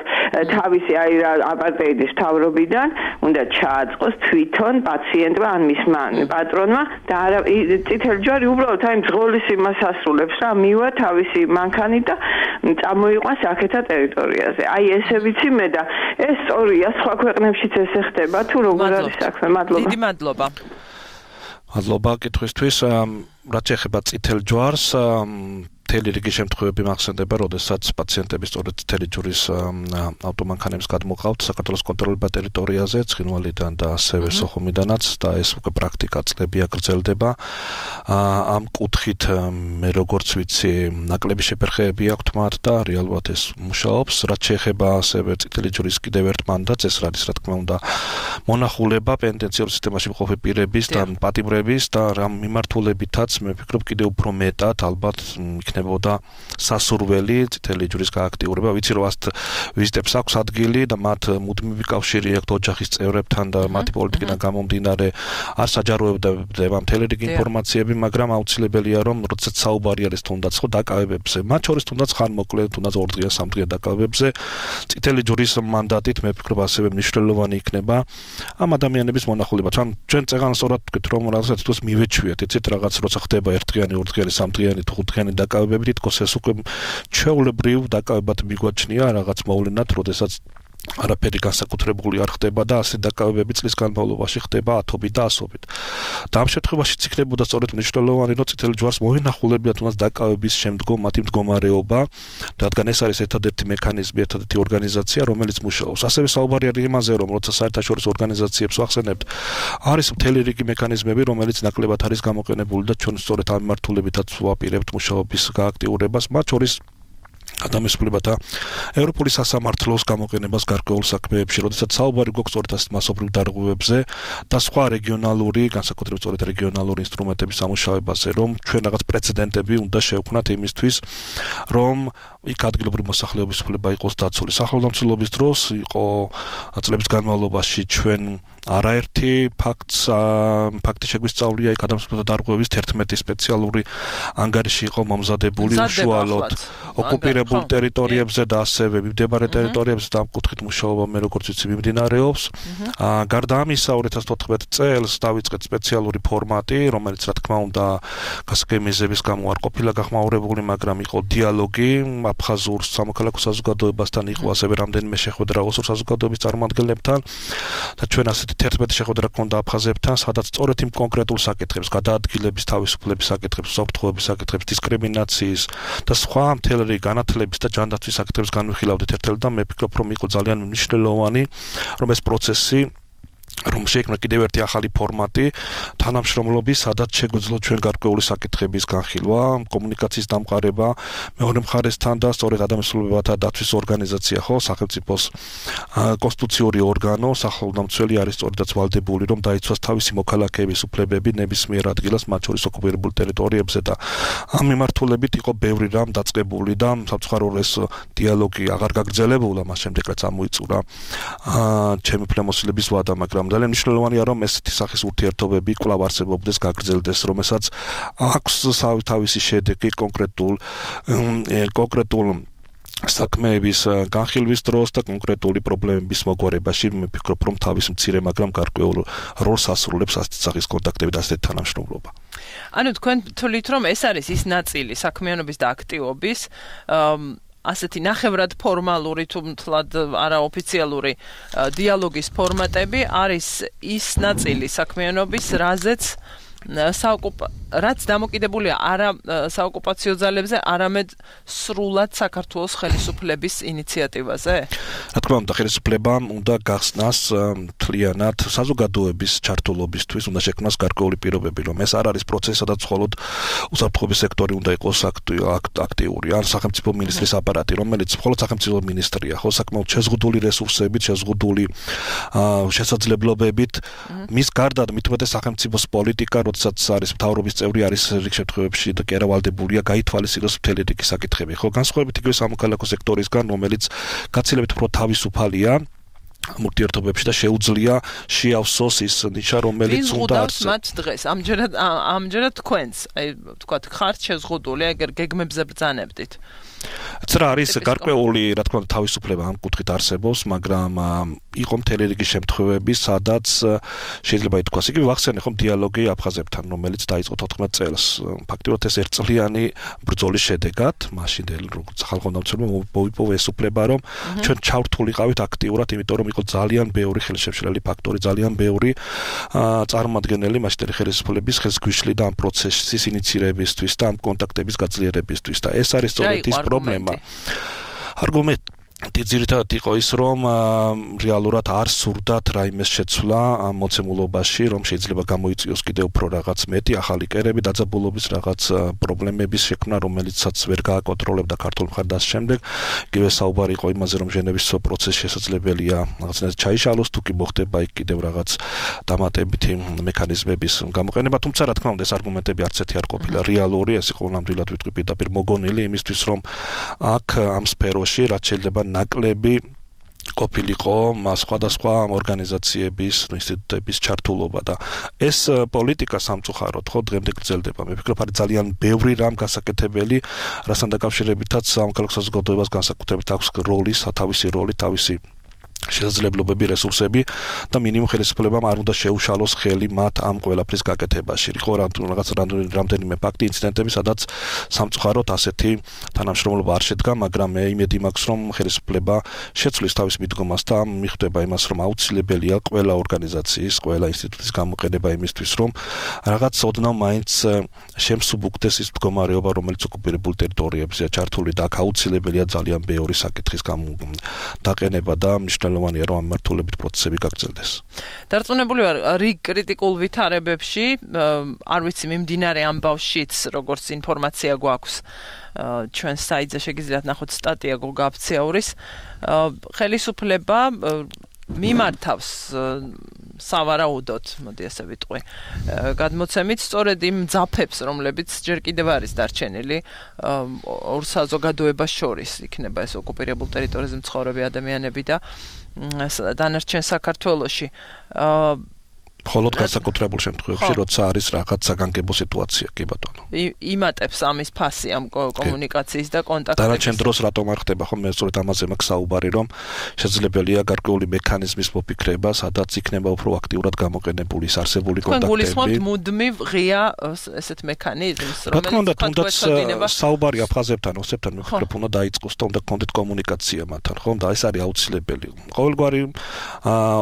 თავისი აი აპარტეიდის მთავრობიდან უნდა ჩააწყოს თვითონ პაციენტმა ან მისმა პატრონმა და არა წითელი ჯვარი უბრალოდ აი მძღოლის იმას ასრულებს რა, მივა თავისი მანქანით და წამოიყვანს აქეთა ტერიტორიაზე. აი ესე ვიცი მე და ეს სწორია, სხვა ქვეყნებშიც ესე ხდება თუ როგორ არის საქმე. მადლობა. დიდი მადლობა. მადლობა კითხვისთვის. რაც ეხება წითელ ჯვარს, მთელი რიგი შემთხვევები მახსენდება, როდესაც პაციენტები სწორედ წითელი ჯვრის ავტომანქანებს გადმოყავთ საქართველოს კონტროლირებულ ტერიტორიაზე, ცხინვალიდან და ასევე სოხუმიდანაც და ეს უკვე პრაქტიკა წლები აგრძელდება. ამ კუთხით მე როგორც ვიცი, ნაკლები შეფერხებები აქვთ მათ და რეალურად ეს მუშაობს. რაც შეეხება ასევე წითელი ჯვრის კიდევ ერთ მანდატს, ეს არის რა თქმა უნდა მონახულება პენიტენციურ სისტემაში მყოფი პირების და პატიმრების და რამ მიმართულებითაც მე ვფიქრობ კიდევ უფრო მეტად ალბათ იქნებოდა სასურველი წითელი ჯვრის გააქტიურება. ვიცი რომ ასეთ ვიზიტებს აქვს ადგილი და მათ მუდმივი კავშირი აქვთ ოჯახის წევრებთან და მათი პოლიტიკიდან გამომდინარე არ საჯაროებდება მთელი რიგი ინფორმაციები, მაგრამ აუცილებელია რომ როდესაც საუბარი არის თუნდაც ხო დაკავებებზე, მათ შორის თუნდაც ხანმოკლე, თუნდაც 2 დღიან 3 დღიან დაკავებებზე, წითელი ჯვრის მანდატით მე ვფიქრობ ასევე მნიშვნელოვანი იქნება ამ ადამიანების მონახულება. ჩვენ წეგან სწორად ვთქვით რომ რაღაცა თვითონ მივეჩვიეთ, იცით რაღაც როცა ხდება 1 დღიანი, 2 დღიანი, 3 დღიანი, 5 დღიანი დაკავებები, თქოს ეს უკვე ჩვეულებრივ დაკავებად მიგვაჩნია რაღაც მოვლენად, როდესაც არაფერი განსაკუთრებული არ ხდება და ასე დაკავებები წლის განმავლობაში ხდება ათობით და ასობით. და ამ შემთხვევაში იქნებოდა სწორედ მნიშვნელოვანი, რომ წითელი ჯვარს მოინახულებიათ თუნდაც დაკავების შემდგომ მათი მდგომარეობა, რადგან ეს არის ერთადერთი მექანიზმი, ერთადერთი ორგანიზაცია, რომელიც მუშაობს. ასევე საუბარი არის იმაზე, რომ როცა საერთაშორისო ორგანიზაციებს ვახსენებთ, არის მთელი რიგი მექანიზმები, რომელიც ნაკლებად არის გამოყენებული და ჩვენ სწორედ ამ მიმართულებითაც ვაპირებთ მუშაობის გააქტიურებას, მათ შორის ადამიანისმლებათა ევროპული სასამართლოს გამოყენებას გარკვეულ საქმეებში, როდესაც საუბარი გვაქვს სწორედ ასეთ მასობრივ დარღვევებზე და სხვა რეგიონალური, განსაკუთრებით სწორედ რეგიონალური ინსტრუმენტების სამუშაოებაზე, რომ ჩვენ რაღაც პრეცედენტები უნდა შევქმნათ იმისთვის, რომ იქ ადგილობრივი მოსახლეობის უფლება იყოს დაცული. სახელმწიფოების დროს იყო წლების განმავლობაში ჩვენ არაერთი ფაქტი შეგვისწავლია იქ ადამიანთა დარღვევის 11 სპეციალური ანგარიში იყო მომზადებული უშუალოდ ოკუპირებულ ტერიტორიებზე და ასევე მიმდებარე ტერიტორიებზე და ამ კუთხით მუშაობა მე როგორც ვიცი მიმდინარეობს. გარდა ამისა 2014 წელს დავიწყეთ სპეციალური ფორმატი, რომელიც რა თქმა უნდა გასაგები მიზეზების გამო არ ყოფილა გახმაურებული, მაგრამ იყო დიალოგი აფხაზურ სამოქალაქო საზოგადოებასთან, იყო ასევე რამდენიმე შეხვედრა ოსურ საზოგადოების წარმომადგენლებთან და ჩვენ ასეთი 11 შეხვედრა გქონდა აფხაზებთან, სადაც სწორედ იმ კონკრეტულ საკითხებს, გადაადგილების თავისუფლების საკითხებს, უსაფრთხოების საკითხებს, დისკრიმინაციის და სხვა მთელი განათლების და ჯანდაცვის საკითხებს განვიხილავდით ერთად და მე ვფიქრობ, რომ იყო ძალიან მნიშვნელოვანი, რომ ეს პროცესი რომ შეიქმნა კიდევ ერთი ახალი ფორმატი თანამშრომლობის, სადაც შეგვეძლო ჩვენ გარკვეული საკითხების განხილვა, კომუნიკაციის დამყარება მეორე მხარესთან და სწორედ ადამიანთა დაცვის ორგანიზაცია ხო, სახელმწიფოს კონსტიტუციური ორგანო, სახელმწიფო არის სწორედაც ვალდებული, რომ დაიცვას თავისი მოქალაქეების უფლებები ნებისმიერ ადგილას, მათ შორის ოკუპირებულ ტერიტორიებზე და ამ მიმართულებით იყო ბევრი რამ დაწყებული და სამწუხაროდ ეს დიალოგი აღარ გაგრძელებულა, მას შემდეგ რაც ამოიწურა ჩემი უფლებამოსილების ვადა, მაგრამ ძალიან მნიშვნელოვანია, რომ ესეთი სახის ურთიერთობები კვლავ არსებობდეს, გაგრძელდეს, რომელსაც აქვს თავისი შედეგი კონკრეტულ საქმეების განხილვის დროს და კონკრეტული პრობლემების მოგვარებაში. მე ვფიქრობ, რომ თავის მცირე, მაგრამ გარკვეულ როლს ასრულებს ასეთი სახის კონტაქტები და ასეთი თანამშრომლობა. ანუ თქვენ თვლით, რომ ეს არის ის ნაწილი საქმიანობის და აქტივობის, ასეთი ნახევრად ფორმალური თუ მთლად არაოფიციალური დიალოგის ფორმატები არის ის ნაწილი საქმიანობის, რაც დამოკიდებულია არა საოკუპაციო ძალებზე, არამედ სრულად საქართველოს ხელისუფლების ინიციატივაზე? რა თქმა უნდა, ხელისუფლებამ უნდა გახსნას მთლიანად საზოგადოების ჩართულობისთვის, უნდა შექმნას გარკვეული პირობები, რომ ეს არ არის პროცესი, სადაც მხოლოდ უსაფრთხოების სექტორი უნდა იყოს აქტიური, ან სახელმწიფო მინისტრის აპარატი, რომელიც მხოლოდ სახელმწიფო მინისტრია, ხო, საკმაოდ შეზღუდული რესურსებით, შეზღუდული შესაძლებლობებით, მის გარდა მით უმეტეს სახელმწიფოს პოლიტიკა, როდესაც არის მთავრობის წევრი, არის რიგ შემთხვევებში და კი არა ვალდებულია გაითვალისწინოს მთელი რიგი საკითხები. ხო, განსხვავებით იგივე სამოქალაქო სექტორისგან, რომელიც გაცილებით უფრო თავისუფალია ურთიერთობებში და შეუძლია შეავსოს ის ნიშა, რომელიც უნდა არსებობს. მათ დღეს ამჯერად თქვენს, აი ვთქვათ, ხართ შეზღუდული, ეგერ გეგმებზე ბრძანებდით. ცრა არის გარკვეული, რა თქმა უნდა, თავისუფლება ამ კუთხით არსებობს, მაგრამ იყო მთელი რიგი შემთხვევები, სადაც შეიძლება ითქვას, იგივე ვახსენე ხომ დიალოგი აფხაზებთან, რომელიც დაიწყო 14 წელს. ფაქტობრივად ეს ერთწლიანი ბრძოლის შედეგად, მაშინდელი როგორც ხალხო დამცველმა მოიპოვა ეს უფლება, რომ ჩვენ ჩავრთულიყავით აქტიურად, იმიტომ რომ იყო ძალიან ბევრი ხელშემშლელი ფაქტორი, ძალიან ბევრი წარმომადგენელი მაშინდელი ხელისუფლების ხელს გვიშლი და ამ პროცესის ინიცირებისთვის და ამ კონტაქტების გაძლიერებისთვის და ეს არის სწორედ ის პრობლემა. არგუმენტი ძირითადად იყო ის, რომ რეალურად არ სურდათ რაიმეს შეცვლა ამ მოცემულობაში, რომ შეიძლება გამოიწვიოს კიდევ უფრო რაღაც მეტი ახალი კერები, დაძაბულობის რაღაც პრობლემების შექმნა, რომელიცაც ვერ გააკონტროლებდა ქართულ მხარს და შემდეგ. იგივე საუბარი იყო იმაზე, რომ ჟენევის პროცესი შესაძლებელია რაღაცნაირად ჩაიშალოს, თუ კი მოხდება იქ კიდევ რაღაც დამატებითი მექანიზმების გამოყენება, თუმცა რა თქმა უნდა ეს არგუმენტები არც ერთი არ ყოფილა რეალური, ეს იყო ნამდვილად ვიტყვი პირდაპირ მოგონილი იმისთვის, რომ აქ ამ სფეროში რაც შეიძლება ნაკლები ყოფილიყო სხვადასხვა ორგანიზაციების, ინსტიტუტების ჩართულობა და ეს პოლიტიკა სამწუხაროდ ხო დღემდე გრძელდება. მე ვფიქრობ, არის ძალიან ბევრი რამ გასაკეთებელი, რასთან დაკავშირებითაც სამოქალაქო საზოგადოებას განსაკუთრებით აქვს როლი, სათავისი როლი, თავისი შესაძლებლობები, რესურსები და მინიმუმ ხელისუფლებამ არ უნდა შეუშალოს ხელი მათ ამ ყველაფრის გაკეთებაში. იყო რაღაც რამდენიმე ფაქტი, ინციდენტები, სადაც სამწუხაროდ ასეთი თანამშრომლობა არ შედგა, მაგრამ მე იმედი მაქვს, რომ ხელისუფლება შეცვლის თავის მიდგომას და მიხვდება იმას, რომ აუცილებელია ყველა ორგანიზაციის, ყველა ინსტიტუტის გამოყენება იმისთვის, რომ რაღაც ოდნავ მაინც შემსუბუქდეს ის მდგომარეობა, რომელიც ოკუპირებულ ტერიტორიებზეა ჩართული და აქ აუცილებელია ძალიან ბევრი საკითხის დაყენება და მნიშვნელოვანი მნიშვნელოვანია რომ ამ მართულებით პროცესები გაგრძელდეს. დარწმუნებული ვარ რიგ კრიტიკულ ვითარებებში, არ ვიცი მიმდინარე ამბავშიც როგორც ინფორმაცია გვაქვს ჩვენ საიტზე შეგიძლიათ ნახოთ სტატია გოგა აფციაურის ხელისუფლება მიმართავს სავარაუდოდ, მოდი ასე ვიტყვი, გადმოცემით სწორედ იმ ძაფებს, რომლებიც ჯერ კიდევ არის დარჩენილი ორ საზოგადოებას შორის, იქნება ეს ოკუპირებულ ტერიტორიაზე მცხოვრები ადამიანები და დანარჩენ საქართველოში. მხოლოდ განსაკუთრებულ შემთხვევებში, როცა არის რაღაც საგანგებო სიტუაცია, კი ბატონო. იმატებს ამის ფასი ამ კომუნიკაციის და კონტაქტების. დანარჩენ დროს რატომ არ ხდება, ხო მე სწორედ ამაზე მაქვს საუბარი, რომ შესაძლებელია გარკვეული მექანიზმის მოფიქრება, სადაც იქნება უფრო აქტიურად გამოყენებული ის არსებული კონტაქტები. გულისხმობთ მუდმივ ღია ესეთ მექანიზმს, რომელიც თუნდაც საუბარი აფხაზებთან, ოსებთან მიფიქრებ, უნდა დაიწყოს და უნდა გქონდეთ კომუნიკაცია მათთან, ხო? და ეს არის აუცილებელი. ყოველგვარი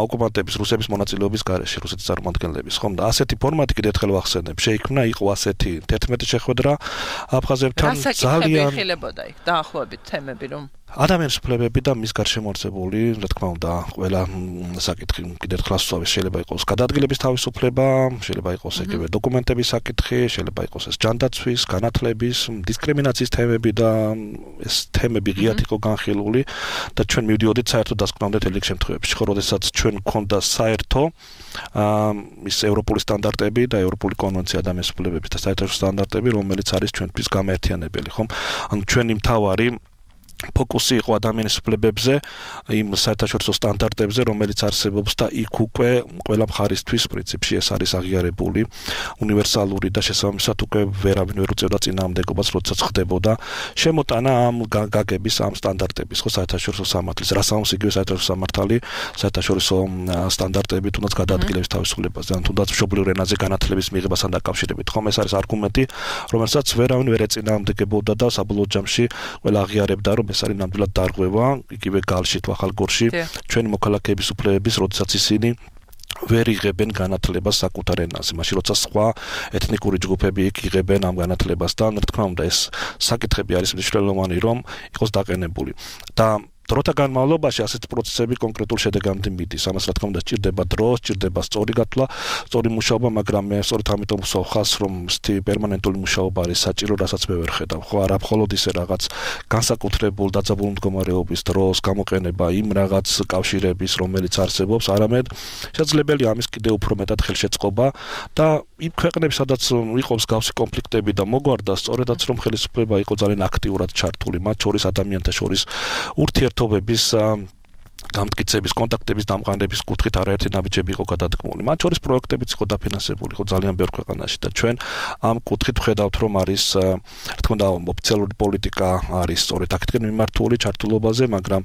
ოკუპანტების რუსების მონაწილეობის გარეშე, რუსეთის წარმომადგენლების, ხომ და ასეთი ფორმატი კიდევ ერთხელ ვახსენებ, შეიქმნა იყო ასეთი 11 შეხვედრა აფხაზებთან ძალიან ხილებოდა იქ დაახლოებით თემები რომ ადამიანის უფლებები და მის გარშემორტყმული, რა თქმა უნდა, ყველა საკითხი კიდევ ერთხელ ასწავლეს, შეიძლება იყოს გადაადგილების თავისუფლება, შეიძლება იყოს ეგრევე დოკუმენტების საკითხი, შეიძლება იყოს ეს ჯანდაცვის, განათლების, დისკრიმინაციის თემები და ეს თემები ღიად იყო განხილული და ჩვენ მივდიოდით საერთო დასკვნამდე რიგ შემთხვევებში, ხო, როდესაც ჩვენ გქონდა საერთო ის ევროპული სტანდარტები და ევროპული კონვენცია ადამიანის უფლებების და საერთაშორისო სტანდარტები, რომელიც არის ჩვენთვის გამაერთიანებელი, ხომ? ანუ ჩვენი მთავარი ფოკუსი იყო ადამიანის უფლებებზე, იმ საერთაშორისო სტანდარტებზე, რომელიც არსებობს და იქ უკვე ყველა მხარისთვის პრინციპში ეს არის აღიარებული, უნივერსალური და შესაბამისად უკვე ვერავინ ვერ უწევდა წინააღმდეგობას, როდესაც ხდებოდა შემოტანა ამ გაგების ამ სტანდარტების, ხო, საერთაშორისო სამართლის, რასაც იგივე საერთაშორისო სამართალი, საერთაშორისო სტანდარტები თუნდაც გადაადგილების თავისუფლებაზე, ან თუნდაც მშობლიურ ენაზე განათლების მიღებასთან დაკავშირებით, ხომ ეს არის არგუმენტი, რომელსაც ვერავინ ვერ ეწინააღმდეგებოდა და საბოლოო ჯამში ყველა აღიარებდა, რომ ეს არის ნამდვილად დარღვევა, იგივე გალში, ახალგორში, ჩვენი მოქალაქეების უფლებების, როდესაც ისინი ვერ იღებენ განათლებას საკუთარ ენაზე, მაშინ როცა სხვა ეთნიკური ჯგუფები იქ იღებენ ამ განათლებასთან, რა თქმა უნდა, ეს საკითხები არის მნიშვნელოვანი, რომ იყოს დაყენებული. და დროთა განმავლობაში ასეთი პროცესები კონკრეტულ შედეგამდე მიდის. ამას რა თქმა უნდა სჭირდება დრო, სჭირდება სწორი გათვლა, სწორი მუშაობა, მაგრამ მე სწორედ ამიტომ ვსვახავს, რომ სთი პერმანენტული მუშაობა არის საჭირო, რასაც მე ვერ ხედავ. ხო, არა მხოლოდ ისე რაღაც განსაკუთრებულ დაძაბულ მდგომარეობის დროს გამოყენება იმ რაღაც კავშირების, რომელიც არსებობს, არამედ შესაძლებელია ამის კიდევ უფრო მეტად ხელშეწყობა და იმ ქვეყნებში, სადაც იყო მსგავსი კონფლიქტები და მოგვარდა, სწორედაც რომ ხელისუფლება იყო ძალიან აქტიურად ჩართული, მათ შორის ადამიანთა შორის ურთიერთობების გამტკიცების, კონტაქტების დამყარების კუთხით არაერთი ნაბიჯები იყო გადადგმული. მათ შორის პროექტებიც იყო დაფინანსებული, ხო, ძალიან ბევრ ქვეყანაში და ჩვენ ამ კუთხით ვხედავთ, რომ არის, რა თქმა უნდა, ოფიციალური პოლიტიკა არის სწორედ აქეთკენ მიმართული ჩართულობაზე, მაგრამ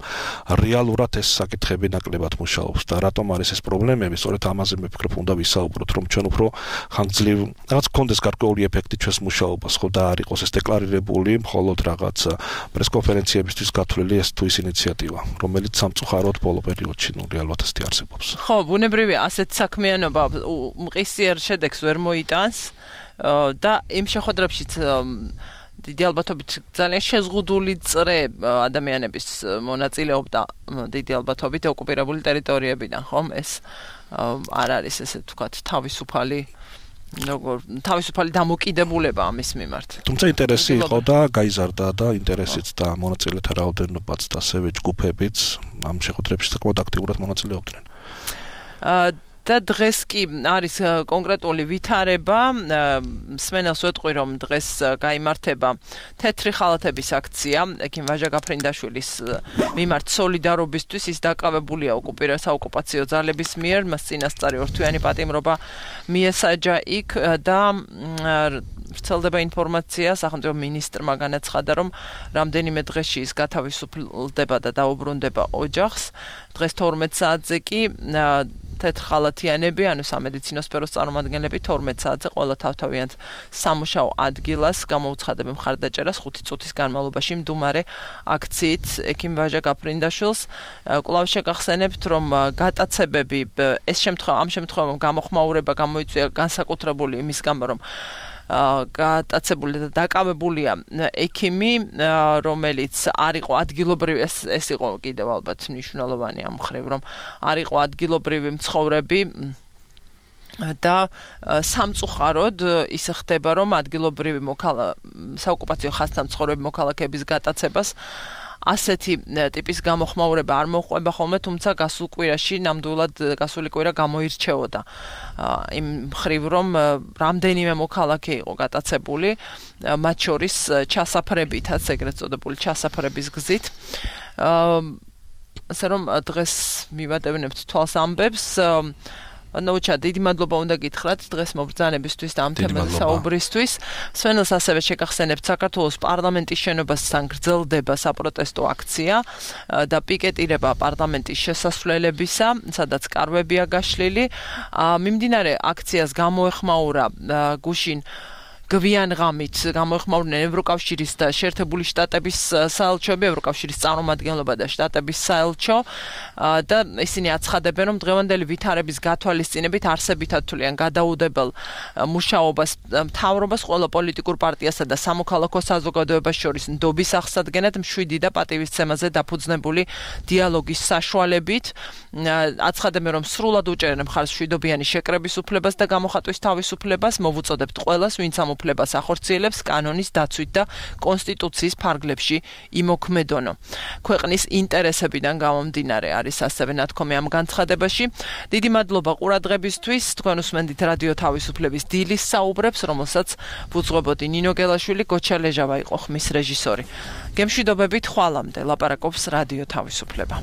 რეალურად ეს საკითხები ნაკლებად მუშაობს და რატომ არის ეს პრობლემები, სწორედ ამაზე მე ვფიქრობ, უნდა ვისაუბროთ, რომ ჩვენ უფრო ხანგრძლივ რაღაც გქონდეს გარკვეული ეფექტი ჩვენს მუშაობას, ხო, და არ იყოს ეს დეკლარირებული, მხოლოდ რაღაც პრესკონფერენციებისთვის გათვლილი ეს თუ ის ინიციატივა, რომელიც სამწუხაროდ ბოლო პერიოდში რეალურად ასეთი არსებობს. ხო, ბუნებრივი ასეთ საქმიანობა მყისიერ შედეგს ვერ მოიტანს და იმ შეხვედრებშიც დიდი ალბათობით ძალიან შეზღუდული წრე ადამიანების მონაწილეობდა დიდი ალბათობით ოკუპირებული ტერიტორიებიდან, ხომ? ეს არ არის ესე ვთქვათ თავისუფალი თავისუფალი დამოკიდებულება ამის მიმართ. თუმცა ინტერესი იყო და გაიზარდა და ინტერესიც და მონაწილეთა რაოდენობაც და ასევე ჯგუფებიც ამ შეხვედრებში საკმაოდ აქტიურად მონაწილეობდნენ. და დღეს კი არის კონკრეტული ვითარება, მსმენელს ვეტყვი, რომ დღეს გაიმართება თეთრი ხალათების აქცია, ექიმ ვაჟა გაფრინდაშვილის მიმართ სოლიდარობისთვის, ის დაკავებულია საოკუპაციო ძალების მიერ, მას წინასწარი ორთვიანი პატიმრობა მიესაჯა იქ და ვრცელდება ინფორმაცია, სახელმწიფო მინისტრმა განაცხადა, რომ რამდენიმე დღეში ის გათავისუფლდება და დაუბრუნდება ოჯახს. დღეს 12 საათზე კი თეთრხალათიანები, ანუ სამედიცინო სფეროს წარმომადგენლები 12 საათზე ყველა თავთავიანთ სამუშაო ადგილას გამოუცხადებენ მხარდაჭერას 5 წუთის განმავლობაში მდუმარე აქციით ექიმ ვაჟა გაფრინდაშვილს. კვლავ შეგახსენებთ, რომ გატაცებები ამ შემთხვევაში გამოხმაურება გამოიწვია განსაკუთრებული იმის გამო, რომ გატაცებული და დაკავებულია ექიმი, რომელიც არ იყო ადგილობრივი, ეს იყო კიდევ ალბათ მნიშვნელოვანი ამ მხრივ, რომ არ იყო ადგილობრივი მცხოვრები და სამწუხაროდ ის ხდება, რომ ადგილობრივი საოკუპაციო ხაზთან მცხოვრები მოქალაქეების გატაცებას ასეთი ტიპის გამოხმაურება არ მოყვება ხოლმე, თუმცა გასულ კვირაში ნამდვილად გასული კვირა გამოირჩეოდა იმ მხრივ, რომ რამდენიმე მოქალაქე იყო გატაცებული, მათ შორის ჩასაფრებითაც, ეგრეთ წოდებული ჩასაფრების გზით. ასე რომ დღეს მივატევნებთ თვალს ამბებს. ნოჩა, დიდი მადლობა უნდა გითხრათ დღეს მობრძანებისთვის და ამ თემაზე საუბრისთვის. სვენელს ასევე შეგახსენებთ საქართველოს პარლამენტის შენობასთან გრძელდება საპროტესტო აქცია და პიკეტირება პარლამენტის შესასვლელებისა, სადაც კარვებია გაშლილი. მიმდინარე აქციას გამოეხმაურა გუშინ გვიან ღამით გამოეხმაურნენ ევროკავშირის და შეერთებული შტატების საელჩოები, ევროკავშირის წარმომადგენლობა და შტატების საელჩო და ისინი აცხადებენ, რომ დღევანდელი ვითარების გათვალისწინებით არსებით ათვლიან გადაუდებელ მუშაობას მთავრობას ყველა პოლიტიკურ პარტიასა და სამოქალაქო საზოგადოებას შორის ნდობის აღსადგენად მშვიდი და პატივისცემაზე დაფუძნებული დიალოგის საშუალებით. აცხადებენ, რომ სრულად უჭერენ მხარს მშვიდობიანი შეკრების უფლებას და გამოხატვის თავისუფლებას, მოვუწოდებთ ყველას, ვინც ამ უფლებას ახორციელებს კანონის დაცვით და კონსტიტუციის ფარგლებში იმოქმედონო. ქვეყნის ინტერესებიდან გამომდინარე არის ასევე ნათქვამი ამ განცხადებაში. დიდი მადლობა ყურადღებისთვის. თქვენ უსმენთ რადიო თავისუფლების დილის საუბრებს, რომელსაც ვუძღვებოდი ნინო გელაშვილი, გოჩა ლეჟავა იყო ხმის რეჟისორი. გემშვიდობებით, ხვალამდე ლაპარაკობს რადიო თავისუფლება.